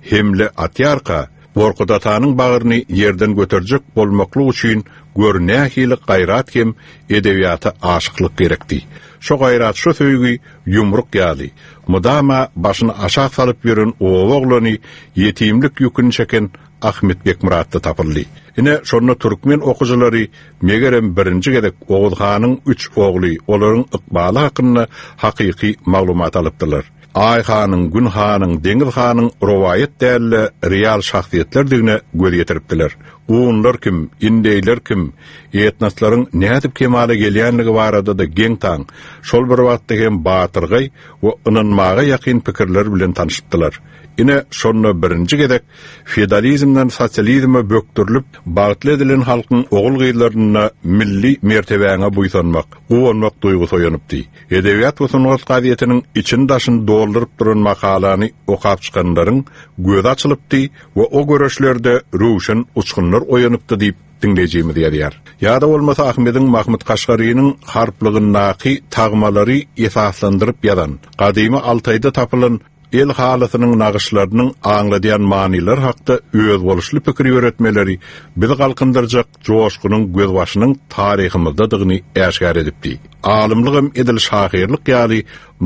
hemle atýarka, Gorkut atanyň bagryny ýerden göterjek bolmaklyk üçin gör nähili gaýrat hem edebiýata aşyklyk gerekdi. Şo gaýrat, şo söýgi ýumruk ýaly, mydama başyny aşak salyp ýören oba oglany, ýetimlik ýüküni çeken Ahmet Bekmyratda tapyldy. Ine, şonda türkmen okyjylary, megerem, birinji gezek Oguz hanyň üç ogly, olaryň ykbaly hakynda hakyky maglumat alypdylar. Aý hanyň, Gün hanyň, Deňiz hanyň rowaýat däl-de, real şahsyýetlerdigine göz ýetiripdiler. Gunlar kim, indeýler kim, etnoslaryň nädip kemala gelýänligi barada-da geň-taň, şol bir wagtda hem batyrgaý we ynanmaga ýakyn pikirler bilen tanşypdylar. Ine, şonda birinji gezek feodalizmden sosializme bökdürilip, bagtly edilen halkyň ogul-gyzlarynda milli mertebäňe buýsanmak, guwanmak duýgusy oýanypdy. Edebiýat we sungat gazetiniň içini-daşyny dolduryp duran makalany okap çykanlaryň gözi açylypdy we o göreşlerde röwşen uçgunlar oýanypdy diýip, diňleýjimiz ýazýar. Ýa-da bolmasa Ahmediň Mahmyt Kaşgarynyň harplygyndaky tagmalary esaslandyryp ýazan, gadymy Altaýda tapylan El halysynyň nagyşlarynyň aňladýan manylary hakda özboluşly pikir ýöretmeleri bizi galkyndyrjak joşgunyň gözbaşynyň taryhymyzdadygyny äşgär edipdi. Alymlygam edil şahyrlyk ýaly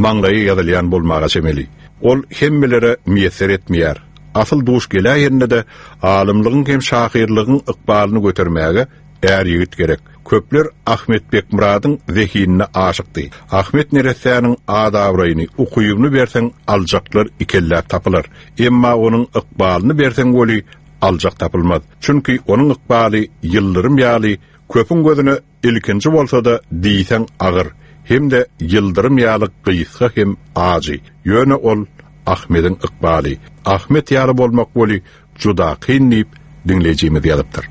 maňlaýa ýazylýan bolmaga çemeli. Ol hemmelere miýesser etmeýär. Asyl duş geläýende-de alymlygyň hem şahyrlygyň ykbalyny götermäge Är ýigit gerek. Köpler Ahmet Bekmyradyň zehinine aşykdy. Ahmet neressäniň at-abraýyny, ukybyny berseň aljaklar ikelläp tapylar. Emma onuň ykbalyny berseň weli aljak tapylmaz. Çünki onuň ykbaly ýyldyrym ýaly köpüň gözüne ilkinji bolsa-da diýseň agyr hem-de ýyldyrym ýaly gysga hem ajy. Ýöne ol Ahmediň ykbaly. Ahmet ýaly bolmak weli Juda kyn diýip, diňleýjimiz ýazypdyr.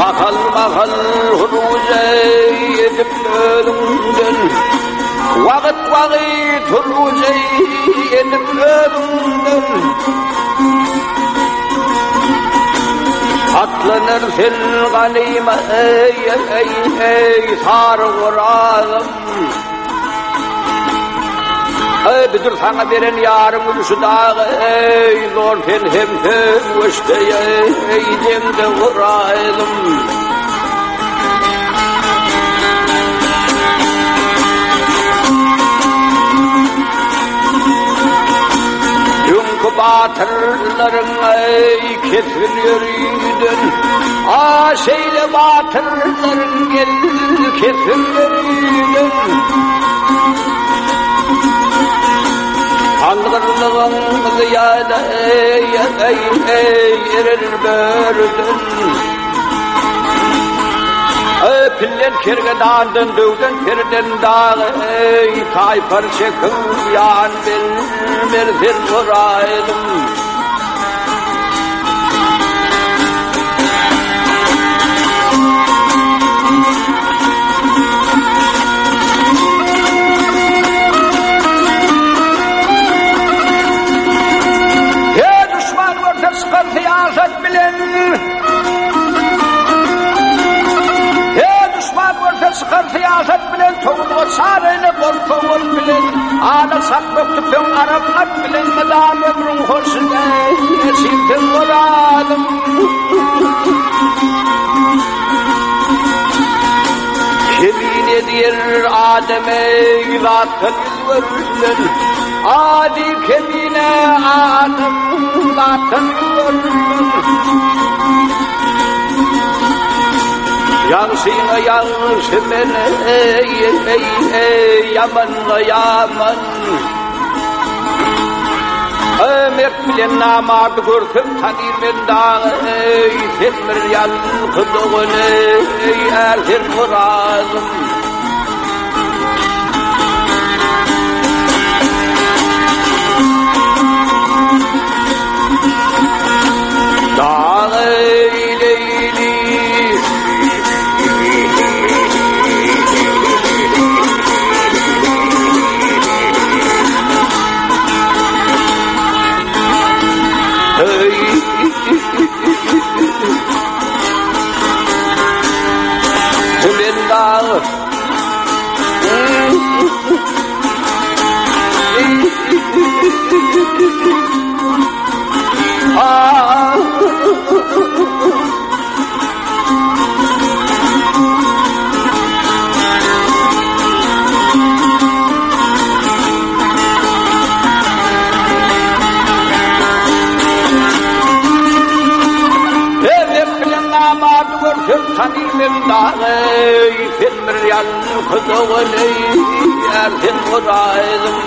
Mahal-mahal huruja edip özüňden, Wagyt-wagyt huruja edip özüňden. Atlanar sen ganyma eý, eý, eý, sary orazym. Eý, bidir saňa beren ýaryň ülşi dagy, eý, zor sen hem söweşde, eý, jeňde uraýdym. Öňki batyrlaryň, eý, kesgin ýöriden, a, şeýle batyrlaryň gel kesgin ýöriden. Algyrlygyň zyýada, eý, eý, eý, erer börüden. Eý, pillen kergedandan, döwden perden dagy, eý, taýpar çekip ýan bilmer sen soraýdym. Her duşman görse çykar syýasat bilen. Her duşman görse çykar syýasat bilen towuzga çar eýle bolsa ol bilen. Ala çakmak tüpeň arap at bilen mydam ömrüň hoşuna eşilsin bolalym. Kemine diýer ademe zatdan ýüz görülen, Ady kemine adam zatdan ýüz görülen. Ýagşyňa ýagşy men eý, eý, eý, ýamanyňa ýaman. Eý, mert bilen namardy görsem tanyr men dagy, eý, sen bir ýalňyz dogan, eý, är sen orazym. Dag eýleýli. Tümen dagy. namardy görsem tanymen dagy, Sen bir ýalňyz dogan eý, ýar sen hojaýynym.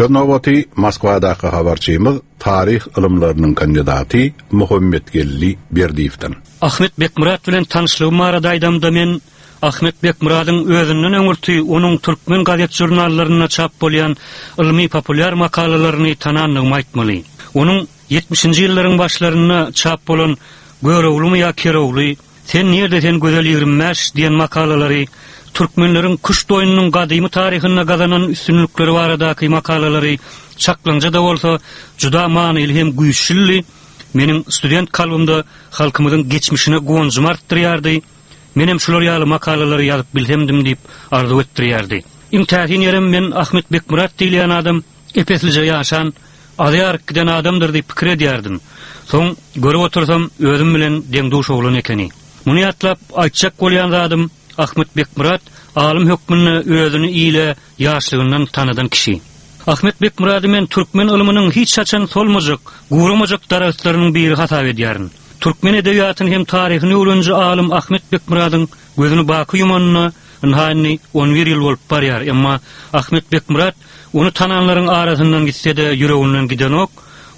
Söz nobaty Moskwadaky habarçymyz taryh ylymlarynyň kandidaty Muhammetgeldi Berdiýewden. Ahmet Bekmyrat bilen tanyşlygym barada aýdamda men Ahmet Bekmyradyň özünden öňürti onuň türkmen gazet-žurnallarynda çap bolýan ylmy-populýar makalalaryny tanandygymy aýtmaly. Onuň ýetmişinji ýyllaryň başlarynda çap bolan Göroglumy ýa Kerogly, Sen nirde sen gözel 25 diýen makalalary, türkmenleriň küşt oýnunyň gadymy taryhynda gazanan üstünlikleri baradaky makalalary çaklaňja-da bolsa juda manyly hem güýçlüdi, meniň student kalbymda halkymyzyň geçmişine guwanjymy artdyrýardy, menem şular ýaly makalalary ýazyp bilsemdim diýip arzuw etdirýärdi. Iň täsin ýerem men Ahmet Bekmyrat diýilýän adam ep-eslije ýaşan, azy-aryk giden adamdyr diýip pikir edýärdim. Soň görüp otursam, özüm bilen deň-duş oglan ekeni. Muny ýatlap, aýtjak bolýan zadym, Ahmet Bekmyrat alym hökmünde özüni ile ýaşlygyndan tanadan kişi. Ahmet Bekmyrady men türkmen ylmynyň hiç haçan solmajak, guramajak daragtlarynyň biri hasap edýärin. Türkmen edebiýatyny hem taryhyny öwreniji alym Ahmet Bekmyradyň gözüni baky ýumanyna ynha indi on bir ýyl bolup barýar, emma Ahmet Bekmyrat ony tananlaryň arasyndan gitse-de ýüreginden gidenok,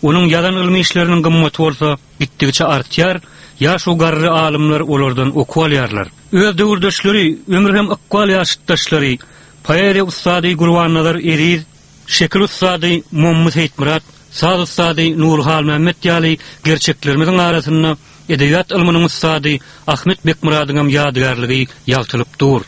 onuň ýazan ylmy işleriniň gymmaty bolsa gitdigiçe artýar, ýaş-u garry alymlar olardan okuw alýarlar. Öz döwürdeşleri, ömür hem ykbal ýaşytdaşlary, poeziýa ussady Gurbannazar Eziz, şekil ussady Mommy Seýitmyrat, saz ussady Nury Halmämmet ýaly gerçeklerimiziň arasynda edebiýat ylmynyň ussady Ahmet Bekmyradyňam ýadygärligi ýagtylyp dur.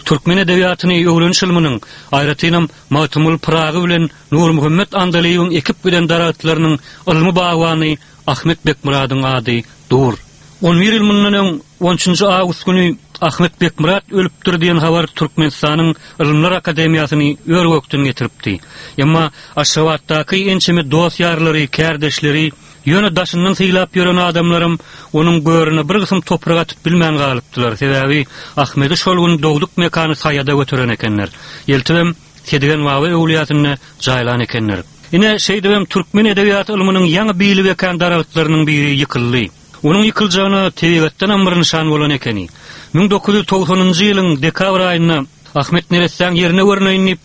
Türkmen edebiýatyny öwreniş ylmynyň, aýratynam Magtymguly Pyragy bilen Nurmuhammet Andalybyň ekip giden daragtlarynyň ylmy bagbany Ahmet Bekmyradyň ady dur. On bir ýyl mundan öň, on üçünji awgust güni Ahmet Bekmyrat ölüpdir diýen habar Türkmenistanyň Ylymlar akademiýasyny ör-gökden getiripdi. Emma Aşgabatdaky ençeme dost-ýarlary, kärdeşleri, ýöne daşyndan sylap ýören adamlaram onuň görüne bir gysym toprak atyp bilmän galypdylar, sebäbi Ahmedi şol gün dogduk mekany Saýada göteren ekenler. Eltibem Sedigen baba öwlüýäsinde jaýlan ekenler. Ine, şeýdibem türkmen edebiýat ylmynyň ýaňy bili bekän daragtlarynyň biri ýykyldy. Onuň ýykyljagyna tebigatdanam bir nyşan bolan ekeni. 1990-njy ýylyň dekabr aýynda Ahmet neressäň ýerine görüneýin diýip,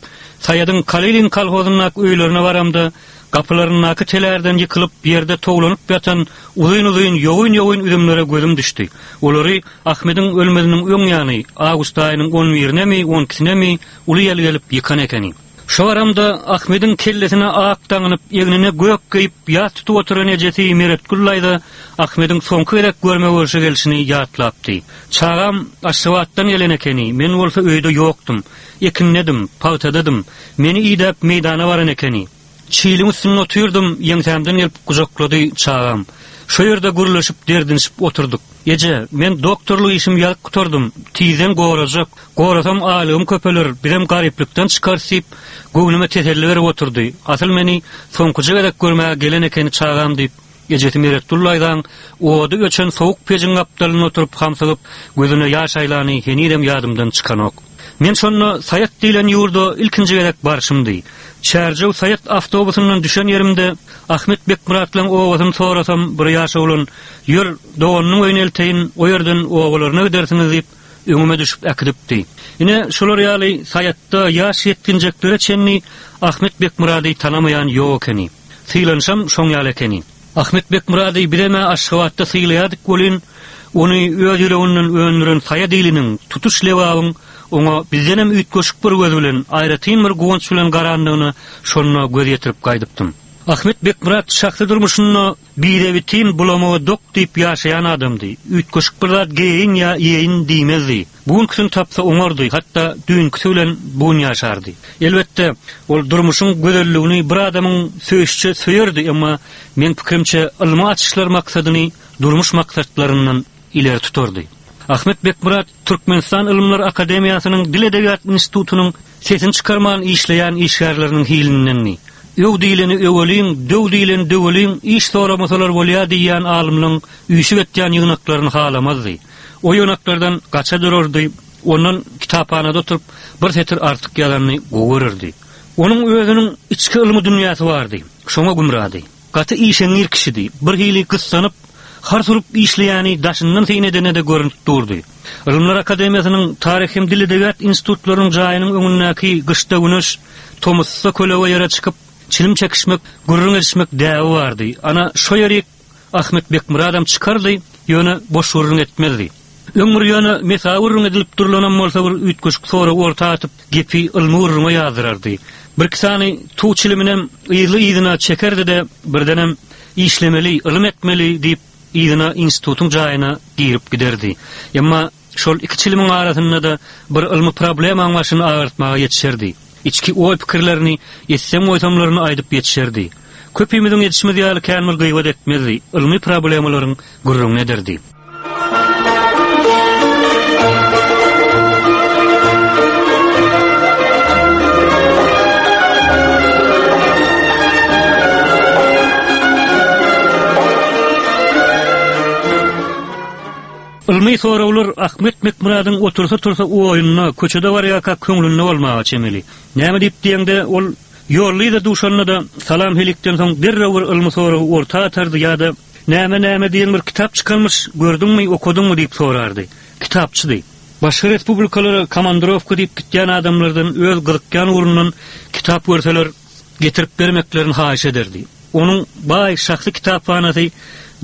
Saýadyň Kalilin kolhozyndaky öýlerine baramda, gapylaryndaky telärden ýykylyp, ýerde towlanyp ýatan uzyn-uzyn, ýogyn-ýogyn üzümlere gözüm düşdi. Olary Ahmediň ölmeziniň öň ýany, awgust aýynyň on birinemi, on ikisinemi uly ýel gelip ýykan ekeni. Şo baramda Ahmediň kellesine ak daňynyp, egnine gök geýip, ýas tutup oturan ejesi Meretgül daýza Ahmediň soňky gezek görme-görşe gelşini ýatlapdy. Çagam Aşgabatdan gelen ekeni, men bolsa öýde ýokdum. Ekindedim, pagtadadym. Meni idäp meýdana baran ekeni. Çiliň üstünde otyrdym, ýeňsämden gelip gujaklady çagam. Şo ýerde gürleşip, derdinişip oturdyk. Eje, men doktorlyk işimi ýazyp gutardym, tizden gorajak, gorasam aýlygym köpeler, bizem garyplykdan çykarys diýip, göwnüme teselli berip oturdy. Asyl meni soňkuja gezek görmäge gelen ekeni çagam diýip, Ejesi Meretgül daýzaň ody öçen sowuk pejiň gapdalynda oturyp hamsygyp, gözüne ýaş aýlany henizem ýadymdan çykanok. Men şonda Saýat diýlen ýurda ilkinji gezek barşymdy. Çärjew Saýat awtobusyndan düşen ýerimde Ahmet Bekmyratlaň obasyny sorasam, bir ýaş oglan, Ýör, doganynyň öýüne elteýin, o ýerden obalaryna gidersiňiz diýip, öňüme düşüp äkidipdi. Ine, şular ýaly Saýatda ýaş ýetginjeklere çenli Ahmet Bekmyrady tanamaýan ýok ekeni. Sylanyşam şoň ýaly ekeni. Ahmet Bekmyrady bizem-ä Aşgabatda sylaýardyk welin, ony öz ýüreginden öndüren Saýat iliniň, tutuş Lebabyň oňa bizdenem üýtgeşik bir göz bilen, aýratyn bir guwanç bilen garandygyna şonda göz ýetirip gaýdypdym. Ahmet Bekmyrat şahsy durmuşynda Bire-bitin bulamaga dok diýip ýaşaýan adamdy. Üýtgeşik bir zat geýeýin ýa iýeýin diýmezdi. Bu günküsini tapsa oňardy, hatda düýnküsi bilen bu gün ýaşardy. Elbetde, ol durmuşyň gözelligini bir adamyň söýüşiçe söýerdi, emma, meň pikirimçe, ylmy açyşlar maksadyny durmuş maksatlaryndan ileri tutardy. Ahmet Bekmyrat Türkmenistan Ylymlar akademiýasynyň Dil-edebiýat institutynyň sesini çykarman işleýän işgärleriniň hilindendi. Öw diýleni öweliň, döw diýleni döweliň, iş soramasalar bolýa diýýän alymlaň üýşüp etýän ýygnaklaryny halamazdy. O ýygnaklardan gaça durardy, ondan kitaphanada oturyp bir setir artyk ýazanyny gowy görerdi. Onuň özüniň içki ylmy dünýäsi bardy, şoňa gümrady. Gaty işeňňir kişidi. Birhili gyssanyp, hars urup işleýäni daşyndan syn edene-de görnüp durdy. Ylymlar akademiýasynyň Taryh hem dil-edebiýat institutlarynyň jaýynyň öňündäki gyşda güneş, tomusda kölege ýere çykyp, çilim çekişmek, gürrüň edişmek däbi bardy. Ana, şo ýerik Ahmet Bekmyradam çykardy, ýöne boş gürrüň etmezdi. Öň bir ýöne mesawy gürrüň edilip durlanam bolsa bir üýtgeşik sorag orta atyp, gepi ylmy gürrüňe ýazdyrardy. Birki sany tug çiliminem yzly-yzyna çekerdi-de, birdenem, Işlemeli, ylym etmeli diýip, yzyna institutyň jaýyna girip giderdi. Emma şol iki çilimiň arasynda-da bir ylmy problemaň başyny agyrtmaga ýetişerdi. Içki oý-pikirlerini, etsem-goýsamlaryny aýdyp ýetişerdi. Köpimiziň edişimiz ýaly kän bir gybat etmezdi, ylmy problemalaryň gürrüňini ederdi. Ylmy soraglar Ahmet Bekmyradyň otursa-tursa oýunda, köçede barýarka köňlünde bolmaga çemeli. Näme diýip diýeňde, ol ýollyza duşanda-da salam-helikden soň derrew bir ylmy soragy orta atardy ýa-da Näme-näme diýen bir kitap çykanmyş, gördüňmi, okadyňmy diýip sorardy. Kitapçydy. Başga respublikalara komandirowka diýip gitýän adamlardan öz gyzykýan ugrundan kitap görseler, getirip bermeklerini haýyş ederdi. Onuň baý şahsy kitaphanasy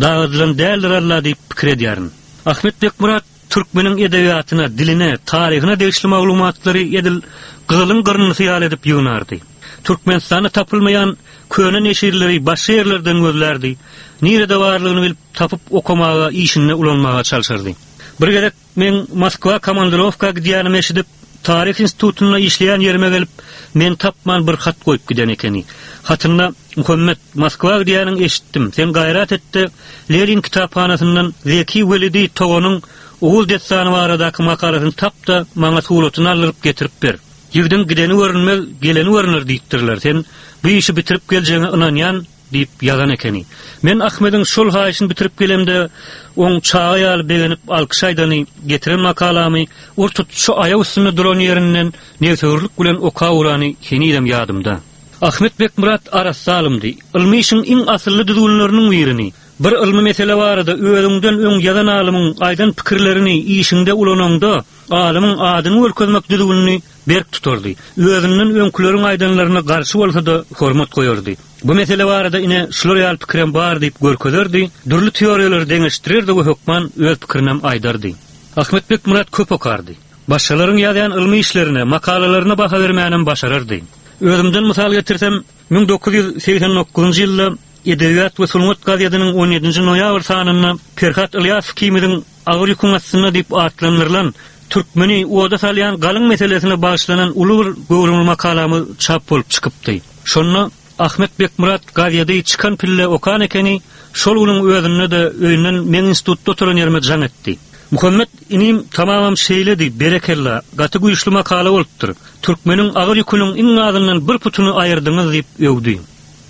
dagadylan däldir alla diýip pikir edýärin. Ahmet Bekmyrat türkmeniň edebiýatyna, diline, taryhyna degişli maglumatlary edil gyzylyň gyrnysy ýaly edip ýygnardy. Türkmenistanda tapylmaýan köne neşirleri başga ýerlerden gözlärdi, nirede barlygyny bilip tapyp okamaga, işinde ulanmaga çalşardy. Bir gezek Meň Moskwa komandirowka gidýänimi eşidip, Taryh institutynda işleýän ýerime gelip, meni tapman bir hat goýup giden ekeni. Hatynda, Muhammet, Moskwa gidýäniňi eşitdim. Sen gaýrat et-de, Lenin kitaphanasyndan Zeki Welidi Toganyň Oguz dessany baradaky makalasyny tap-da, maňa suratyny aldyryp getirip ber. Ýigdiň gideni görünmez, geleni görüner diýipdirler. Sen bu işi bitirip geljegiňe ynanýan. Diýip ýazan ekeni. Men Ahmediň şol haýyşyny bitirip gelemde, oň çaga ýaly begenip alkyş aýdany, getiren makalamy ur-tut şu aýak üstünde duran ýerinden nebsewürlik bilen okap urany henizem ýadymda. Ahmet Bekmyrat arassa alymdy. Ylmy işiň iň asylly düzgünleriniň birini, bir ylmy mesele barada özüňden öň ýazan alymyň aýdan pikirlerini işiňde ulanaňda, alymyň adyny görkezmek düzgünini berk tutardy. Özünden öňküleriň aýdanlaryna garşy bolsa-da hormat goýardy. Bu mesele barada ine şular ýaly pikirem bar diýip görkezerdi, dürli teoriýalary deňeşdirerdi we hökman öz pikirinem aýdardy. Ahmet Bekmyrat köp okardy. Başgalaryň ýazýan ylmy işlerine, makalalaryna baha bermänem başarardy. Özümden mysal getirsem, 1989-njy ýylda Edebiýat we sungat gazetiniň on ýedinji noýabr sanynda Perhat Ylýasow ikimiziň Agyr ýüküň astynda diýip atlandyrylan, türkmeni oda salýan galyň meselesine bagyşlanan uly bir göwrümli makalamyz çap bolup çykypdy. Şonda Ahmet Bekmyrat gazedi çykan pille okan ekeni, şol günüň özünde-de öýünden meň institutda oturan ýerime jaň etdi. Muhammet inim tamamam şeýledi, berekella, gaty güýçli makala bolupdyr. Türkmeniň agyr ýüküniň iň azyndan bir putuny aýyrdyňyz diýip öwdi.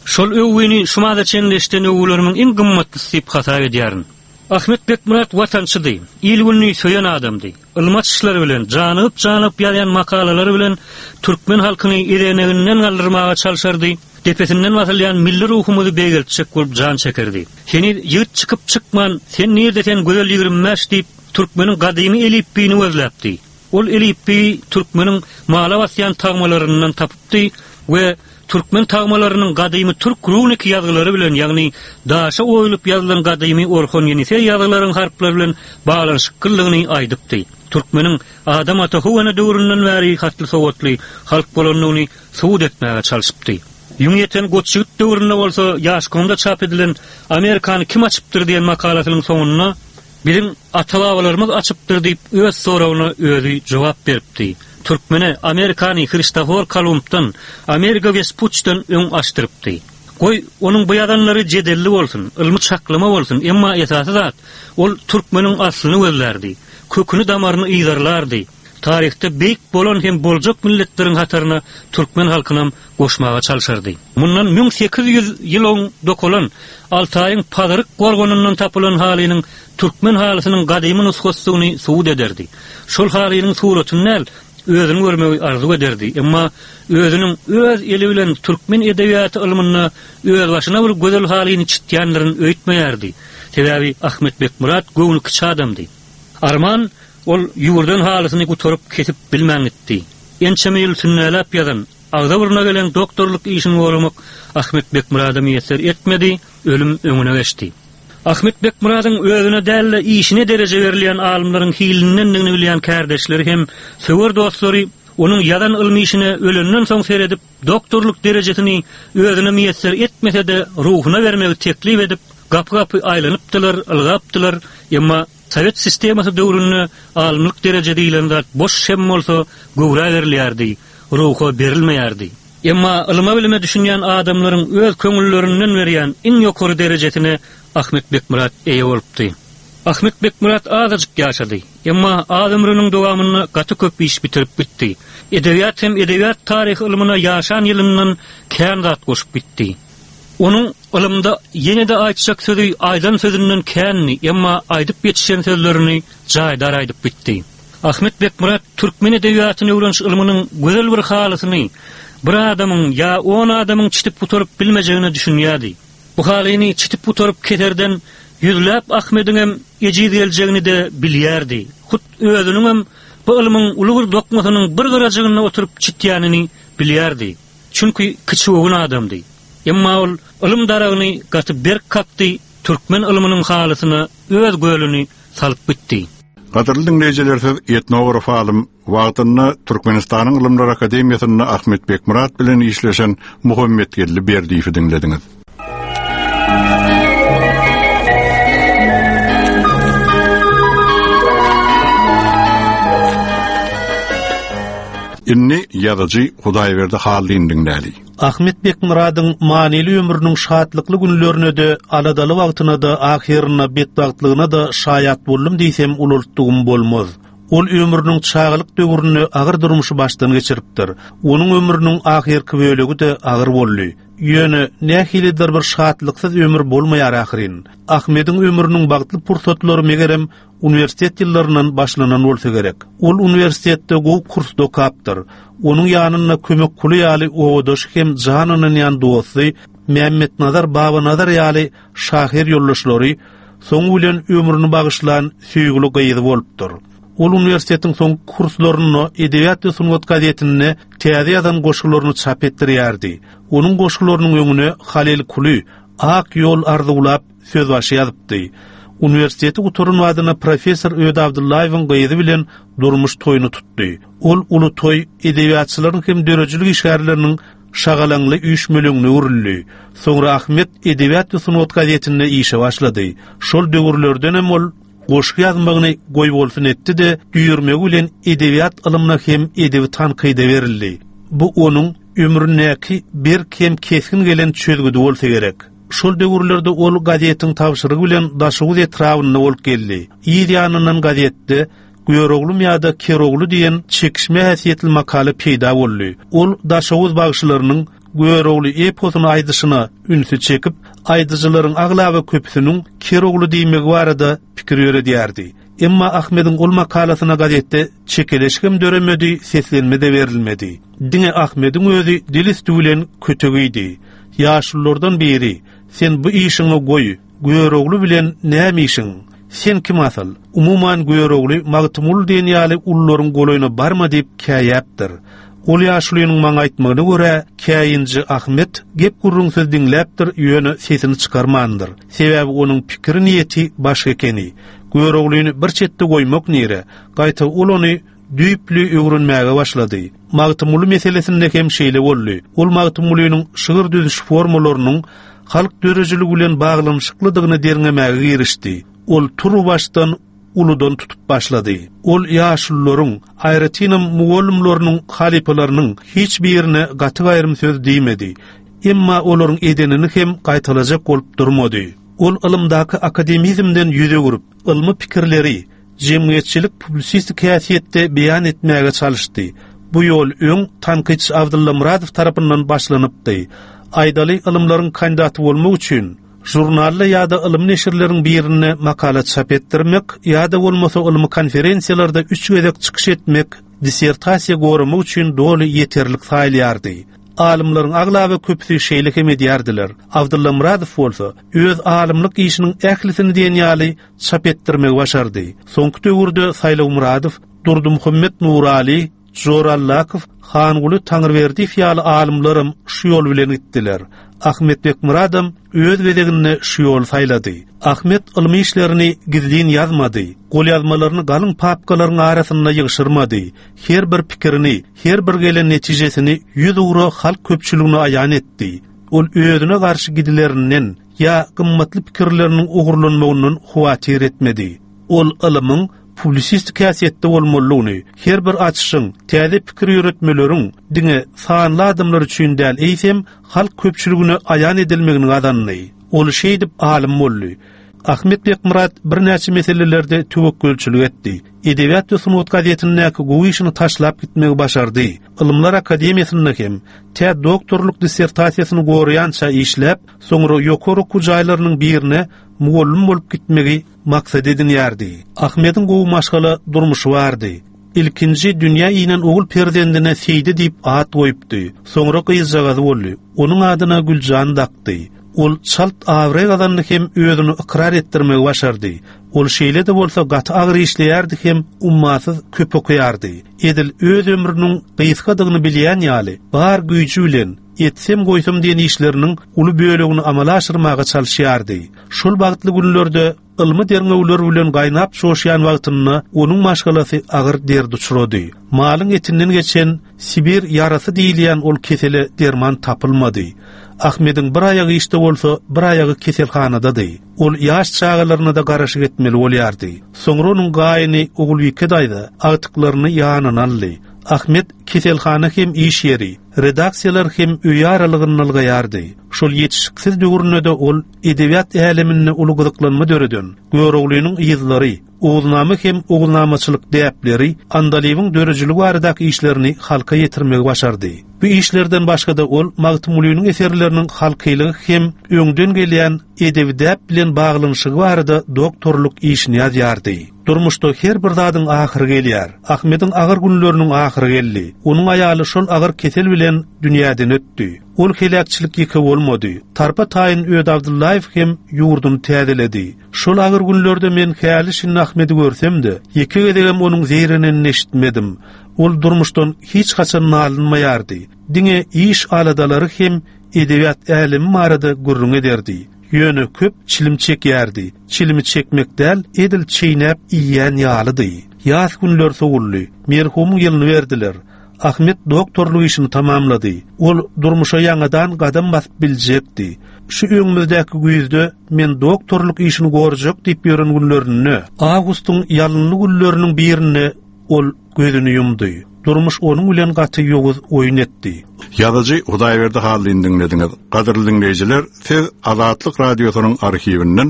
Şol öwgini şu mada çenli eşiden öwgülerimiň iň gymmatlysy diýip hasap edýärin. Ahmet Bekmyrat watançydy, il-gününi söýen adamdy. Ylmy açyşlary bilen, janygyp-janygyp ýazýan makalalary bilen türkmen halkyny ezeneginden galdyrmaga çalşardy, depesinden basylýan milli ruhumyzy beýgeltjek bolup jan çekerdi. Heniz ýigit çykyp-çykman, Sen nirde sen gözel 25 diýip, türkmeniň gadymy elipbiýini gözläpdi. Ol elipbiýi türkmeniň mala basýan tagmalaryndan tapypdy we Türkmen tagmalarynyň gadymy türk runik ýazgylary bilen, ýagny daşa oýulyp ýazylan gadymy Orhon-Ýeniseý ýazgylaryň harplary bilen baglanyşyklydygyny aýdypdy. Türkmeniň Adam ata How ene döwründen bäri hatly-sowatly halk bolandygyny subut etmäge çalşypdy. Ýüňi ýeten goç ýigit döwründe bolsa Ýaşkomda çap edilen Amerikany kim açypdyr diýen makalasynyň soňunda Biziň ata-babalarymyz açypdyr diýip öz soragyna özi jogap beripdi. Türkmene Amerikany Hristofor Kolumbdan, Amerigo Wespuçden öň açdyrypdy. Goý, onuň bu ýazanlary jedelli bolsun, ylmy çaklama bolsun, emma esasy zat, ol türkmeniň aslyny gözlärdi, köküni-damaryny yzarlardy, taryhda beýik bolan hem boljak milletleriň hataryna türkmen halkynam goşmaga çalşardy. Mundan 1800 ýyl oň dokalan, Altaýyň Pazyryk gorganyndan tapylan halynyň türkmen halysynyň gadymy nusgasydygyny subut ederdi. Şol halynyň suratyny däl, özüni görmegi arzuw ederdi. Emma özüniň öz eli bilen türkmen edebiýaty ylmynda özbaşyna bir gözel halyny çitýändirin öýtmeýärdi. Sebäbi Ahmet Bekmyrat göwni kiçi adamdy. Arman, ol ýüwürden halysyny gutaryp kesip bilmän gitdi. Ençeme ýyl sünnäläp ýazan, agza-burna gelen doktorlyk işini goramak Ahmet Bekmyrada miýesser etmedi, ölüm öňüne geçdi. Ahmet Bekmyradyň özüne däl-de, işine dereje berilýän alymlaryň hilindendigini bilýän kärdeşleri hem söwer dostlary onuň ýazan ylmy işine ölenden soň seredip, doktorlyk derejesini özüne miýesser etmese-de, ruhuna bermegi teklip edip, gapy-gapy aýlanypdylar, ylgapdylar, emma Sowet sistemasy döwründe alymlyk dereje diýlen zat boş hem bolsa göwrä berilýärdi, ruha berilmeýärdi. Emma ylyma-bilime düşünýän adamlaryň öz köňüllerinden berýän iň ýokary derejesine Ahmet Bekmyrat eýe bolupdy. Ahmet Bekmyrat azajyk ýaşady. Emma az ömrüniň dowamynda gaty köp iş bitirip gitdi. Edebiýat hem edebiýat taryhy ylmyna ýaşan ýylyndan kän zat goşup gitdi. Onuň ylymda ýene-de aýtjak sözi aýdan sözünden kändi, emma aýdyp ýetişen sözlerini jaýdar aýdyp gitdi. Ahmet Bekmyrat türkmen edebiýatyny öwreniş ylmynyň gözel bir halysyny bir adamyň ýa on adamyň çitip gutaryp bilmejegine düşünýärdi. Bu halyny çitip gutaryp keserden ýüzläp Ahmediňem ejiz geljegini-de bilýärdi. Hut özüniňem bu ylmyň uly bir dokmasynyň bir gyrajygynda oturyp çitýänini bilýärdi. Çünki kiçigöwün adamdy. Emma ol ylym daragyny gaty berk kakdy, türkmen ylmynyň halysyna öz gölüni salyp gitdi. Gadyrly diňleýjiler siz etnograf alym, wagtynda Türkmenistanyň Ylymlar akademiýasynda Ahmet Bekmyrat bilen işleşen Muhammetgeldi Berdiýewi diňlediňiz. Indi ýazyjy Hudaýberdi Hallyny diňläli. Ahmet Bekmyradyň manyly ömrüniň şatlykly günlerine-de, aladaly wagtyna-da, ahyrynda betbagtlygyna-da şaýat boldum diýsem ulaltdygym bolmaz. Ol ömrüniň çagalyk döwründe agyr durmuşy başdan geçiripdir. Onuň ömrüniň ahyrky bölegi-de agyr boldy. Ýöne, nähilidir bir şatlyksyz ömür bolmaýar ahyryn. Ahmediň ömrüniň bagtly pursatlary megerem uniwersitet ýyllaryndan başlanan bolsa gerek. Ol uniwersitetde gowy kursda okapdyr. Onuň ýanynda Kömek Kuly ýaly obadaşy hem jan ynanýan dosty, Mämmetnazar Babanazar ýaly şahyr ýoldaşlary, soňy bilen ömrüni bagyşlan söýgüli gyzy bolupdyr. Ol uniwersitetiň soňky kurslarynda Edebiýat we sungat gazetinde täze ýazan goşgularyny çap etdirýärdi. Onuň goşgularynyň öňüne Halyl Kuly, Ak ýol arzuwlap sözbaşy ýazypdy. Uniwersiteti gutaran badyna professor Öde Abdyllaýewiň gyzy bilen durmuş toýuny tutdy. Ol uly toý edebiýatçylaryň hem döredijilik işgärleriniň şagalaňly üýşmeleňine öwrüldi. Soňra Ahmet Edebiýat we sungat gazetinde işe başlady. Şol döwürlerdenem ol goşgy ýazmagyny goýbolsun etdi-de, düýrmegi bilen edebiýat ylmyna hem edebi tankyda berildi. Bu onuň ömründäki berk hem kesgin gelen çözgüdi bolsa gerek. Şol döwürlerde ol gazetiň tabşyrygy bilen Daşoguz etrabynda bolup geldi. Yz ýanyndan gazetde Göroglum ýa-da Kerogly diýen çekişme häsiýetli makala peýda boldy. Ol Daşoguz bagşylarynyň Görogly eposyny aýdyşyna ünsi çekip, aýdyjylaryň aglaba köpüsiniň Kerogly diýmegi barada pikir ýöredýärdi. Emma Ahmediň ol makalasyna gazetde çekeleşigem döremedi, seslenme-de berilmedi. Diňe Ahmediň özi dil üsti bilen kötek iýdi. Ýaşululardan biri, Sen bu işiňi goý, Görogly bilen näme işiň? Sen kim asyl? Umuman Görogly, Magtymguly diýen ýaly ulularyň golaýyna barma diýip käýäpdir. Ol ýaşulynyň maňa aýtmagyna görä, käýinji Ahmet gep-gürrüňsiz diňläpdir, ýöne sesini çykarmandyr. Sebäbi onuň pikiri-niýeti başga ekeni. Göroglyny bir çetde goýmak nire, gaýta ol ony. düýpli öwrenmäge başlady. Magtymguly meselesinde hem şeýle boldy. Ol Magtymgulynyň şygyr düzüş formalarynyň halk döredijiligi bilen baglanyşyklydygyny derňemäge girişdi. Ol turuwbaşdan uludan tutup başlady. Ol ýaşulularyň, aýratynam mugallymlarynyň halypalarynyň hiç birine gaty-gaýrym söz diýmedi. Emma olaryň edenini hem gaýtalajak bolup durmady. Ol ylymdaky akademizmden ýüz öwrüp, ylmy pikirleri jemgyýetçilik-publisistik häsiýetde beýan etmäge çalyşdy. Bu ýol öň tankytçy Abdylla Myradow tarapyndan başlanypdy. Aýdaly, ylymlaryň kandidaty bolmak üçin, žurnalda ýa-da ylmy neşirleriň birinde makala çap etdirmek ýa-da bolmasa ylmy konferensiýalarda üç gezek çykyş etmek dissertasiýa goramak üçin doly ýeterlik saýylýardy. Alymlaryň aglaba köpüsi şeýle hem edýärdiler. Abdylla Myradow bolsa öz alymlyk işiniň ählisini diýen ýaly çap etdirmegi başardy. Soňky döwürde Saýlaw Myradow, Durdymuhammet Nuraly, Jora Allakow, Hanguly Taňryberdiýew ýaly alymlaram şu ýol bilen gitdiler. Ahmet Bekmyradam öz gezeginde şu ýoly saýlady. Ahmet ylmy işlerini gizlin ýazmady, golýazmalaryny galyň papkalaryň arasynda ýygşyrmady, her bir pikirini, her bir gelen netijesini ýüzugra halk köpçüligine aýan etdi. Ol özüne garşy gidilerinden ýa gymmatly pikirleriniň ogurlanmagyndan howatyr etmedi. Ol ylymyň publisistik häsiýetde bolmalydygyny, her bir açyşyň, täze pikir ýöretmeleriň diňe sanly adamlar üçin däl, eýsem, halk köpçüligine aýan edilmegini gazandy. Ol şeýdip alym boldy. Ahmet Bekmyrat birnäçe meselelerde töwekgelçilik etdi. Edebiýat we sungat gazetindäki gowy işini taşlap gitmegi başardy. Ylymlar akademiýasynda hem tä doktorlyk dissertasiýasyny goraýança işläp, soňra ýokary okuw jaýlarynyň birine mugallym bolup gitmegi maksat edinýärdi. Ahmediň gowy maşgala durmuşy bardy. Ilkinji dünýä inen ogul perzendine Seýdi diýip at goýupdy. Soňra gyzjagazy boldy. Onuň adyna Güljan dakdy. Ol çalt abraý gazandy hem özüni ykrar etdirmegi başardy. Ol şeýle-de bolsa gaty agyr işleýärdi hem ummasyz köp okaýardy. Edil öz ömrüniň gysgadygyny bilýän ýaly, bar güýji bilen etsem-goýsam diýen işleriniň uly bölegini amala aşyrmaga çalyşýardy. Şol bagtly günlerde ylmy derňewler bilen gaýnap çoşýan wagtynda onuň maşgalasy agyr derde uçrady. Malyň etinden geçen Sibir ýarasy diýilýän ol kesele derman tapylmady. Ahmediň bir aýagy işde bolsa, bir aýagy keselhanadady. Ol ýaş çagalaryna-da garaşyk etmeli bolýardy. Soňra onuň gaýyny Ogulbike daýza agtyklaryny ýanyna aldy. Ahmet keselhana hem iş ýeri, redaksiýalar hem öýi aralygynda ylgaýardy. Şol ýetişiksiz döwründe-de ol edebiýat äleminde uly gyzyklanma döreden Göroglynyň yzlary, Oguznama hem oguznamaçylyk däpleri, Andalybyň döredijiligi baradaky işlerini halka ýetirmegi başardy. Bu işlerden başga-da ol Magtymgulynyň eserleriniň halkylygy hem öňden gelýän edebi däp bilen baglanyşygy barada doktorlyk işini ýazýardy. Durmuşda her bir zadyň ahyry gelýär. Ahmediň agyr günleriniň ahyry geldi. Onuň aýaly şol agyr kesel bilen dünýäden ötdi. Ol heläkçilik ýeke bolmady. Tarpa-taýyn Öde Abdyllaýew hem ýurduny täzeledi. Şol agyr günlerde men häli-şindi Ahmedi görsem-de, ýeke gezegem onuň zeýrenenini eşitmedim. Ol durmuşdan hiç haçan nalynmaýardy. Diňe iş aladalary hem edebiýat älemi barada gürrüň ederdi. Ýöne köp çilim çekýärdi. Çilimi çekmek däl, edil çeýnäp iýýän ýalydy. Ýas günler sowuldy. Merhumyň ýylyny berdiler. Ahmet doktorlyk işini tamamlady. Ol durmuşa ýaňadan gadam basyp biljekdi. Şu öňümizdäki güýzde men doktorlyk işini gorjak diýip ýören günlerinde, awgustyň ýalynly günleriniň birinde ol gözüni ýumdy. Durmuş onuň bilen gaty ýowuz oýun etdi. Ýazyjy Hudaýberdi Hallyny diňlediňiz. Gadyrly diňleýjiler, siz Azatlyk Radiosynyň arhiwinden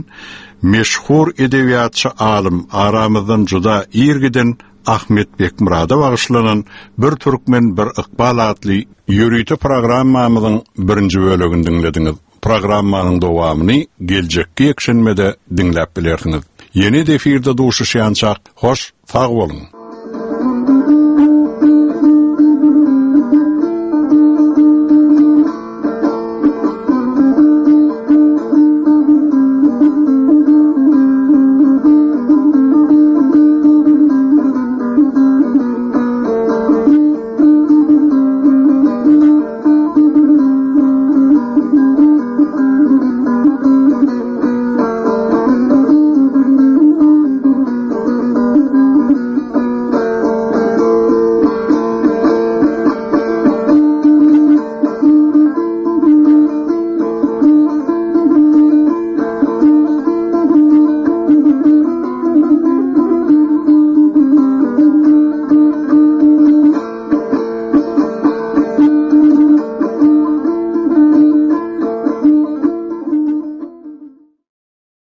meşhur edebiýatçy alym, aramyzdan juda ir giden Ahmet Bekmyrada bagyşlanan Bir türkmen, bir ykbal atly ýörite programmamyzyň birinji bölegini diňlediňiz. Programmanyň dowamyny geljekki ýekşenbede diňläp bilersiňiz. Ýene-de efirde duşuşýançak, hoş sag boluň!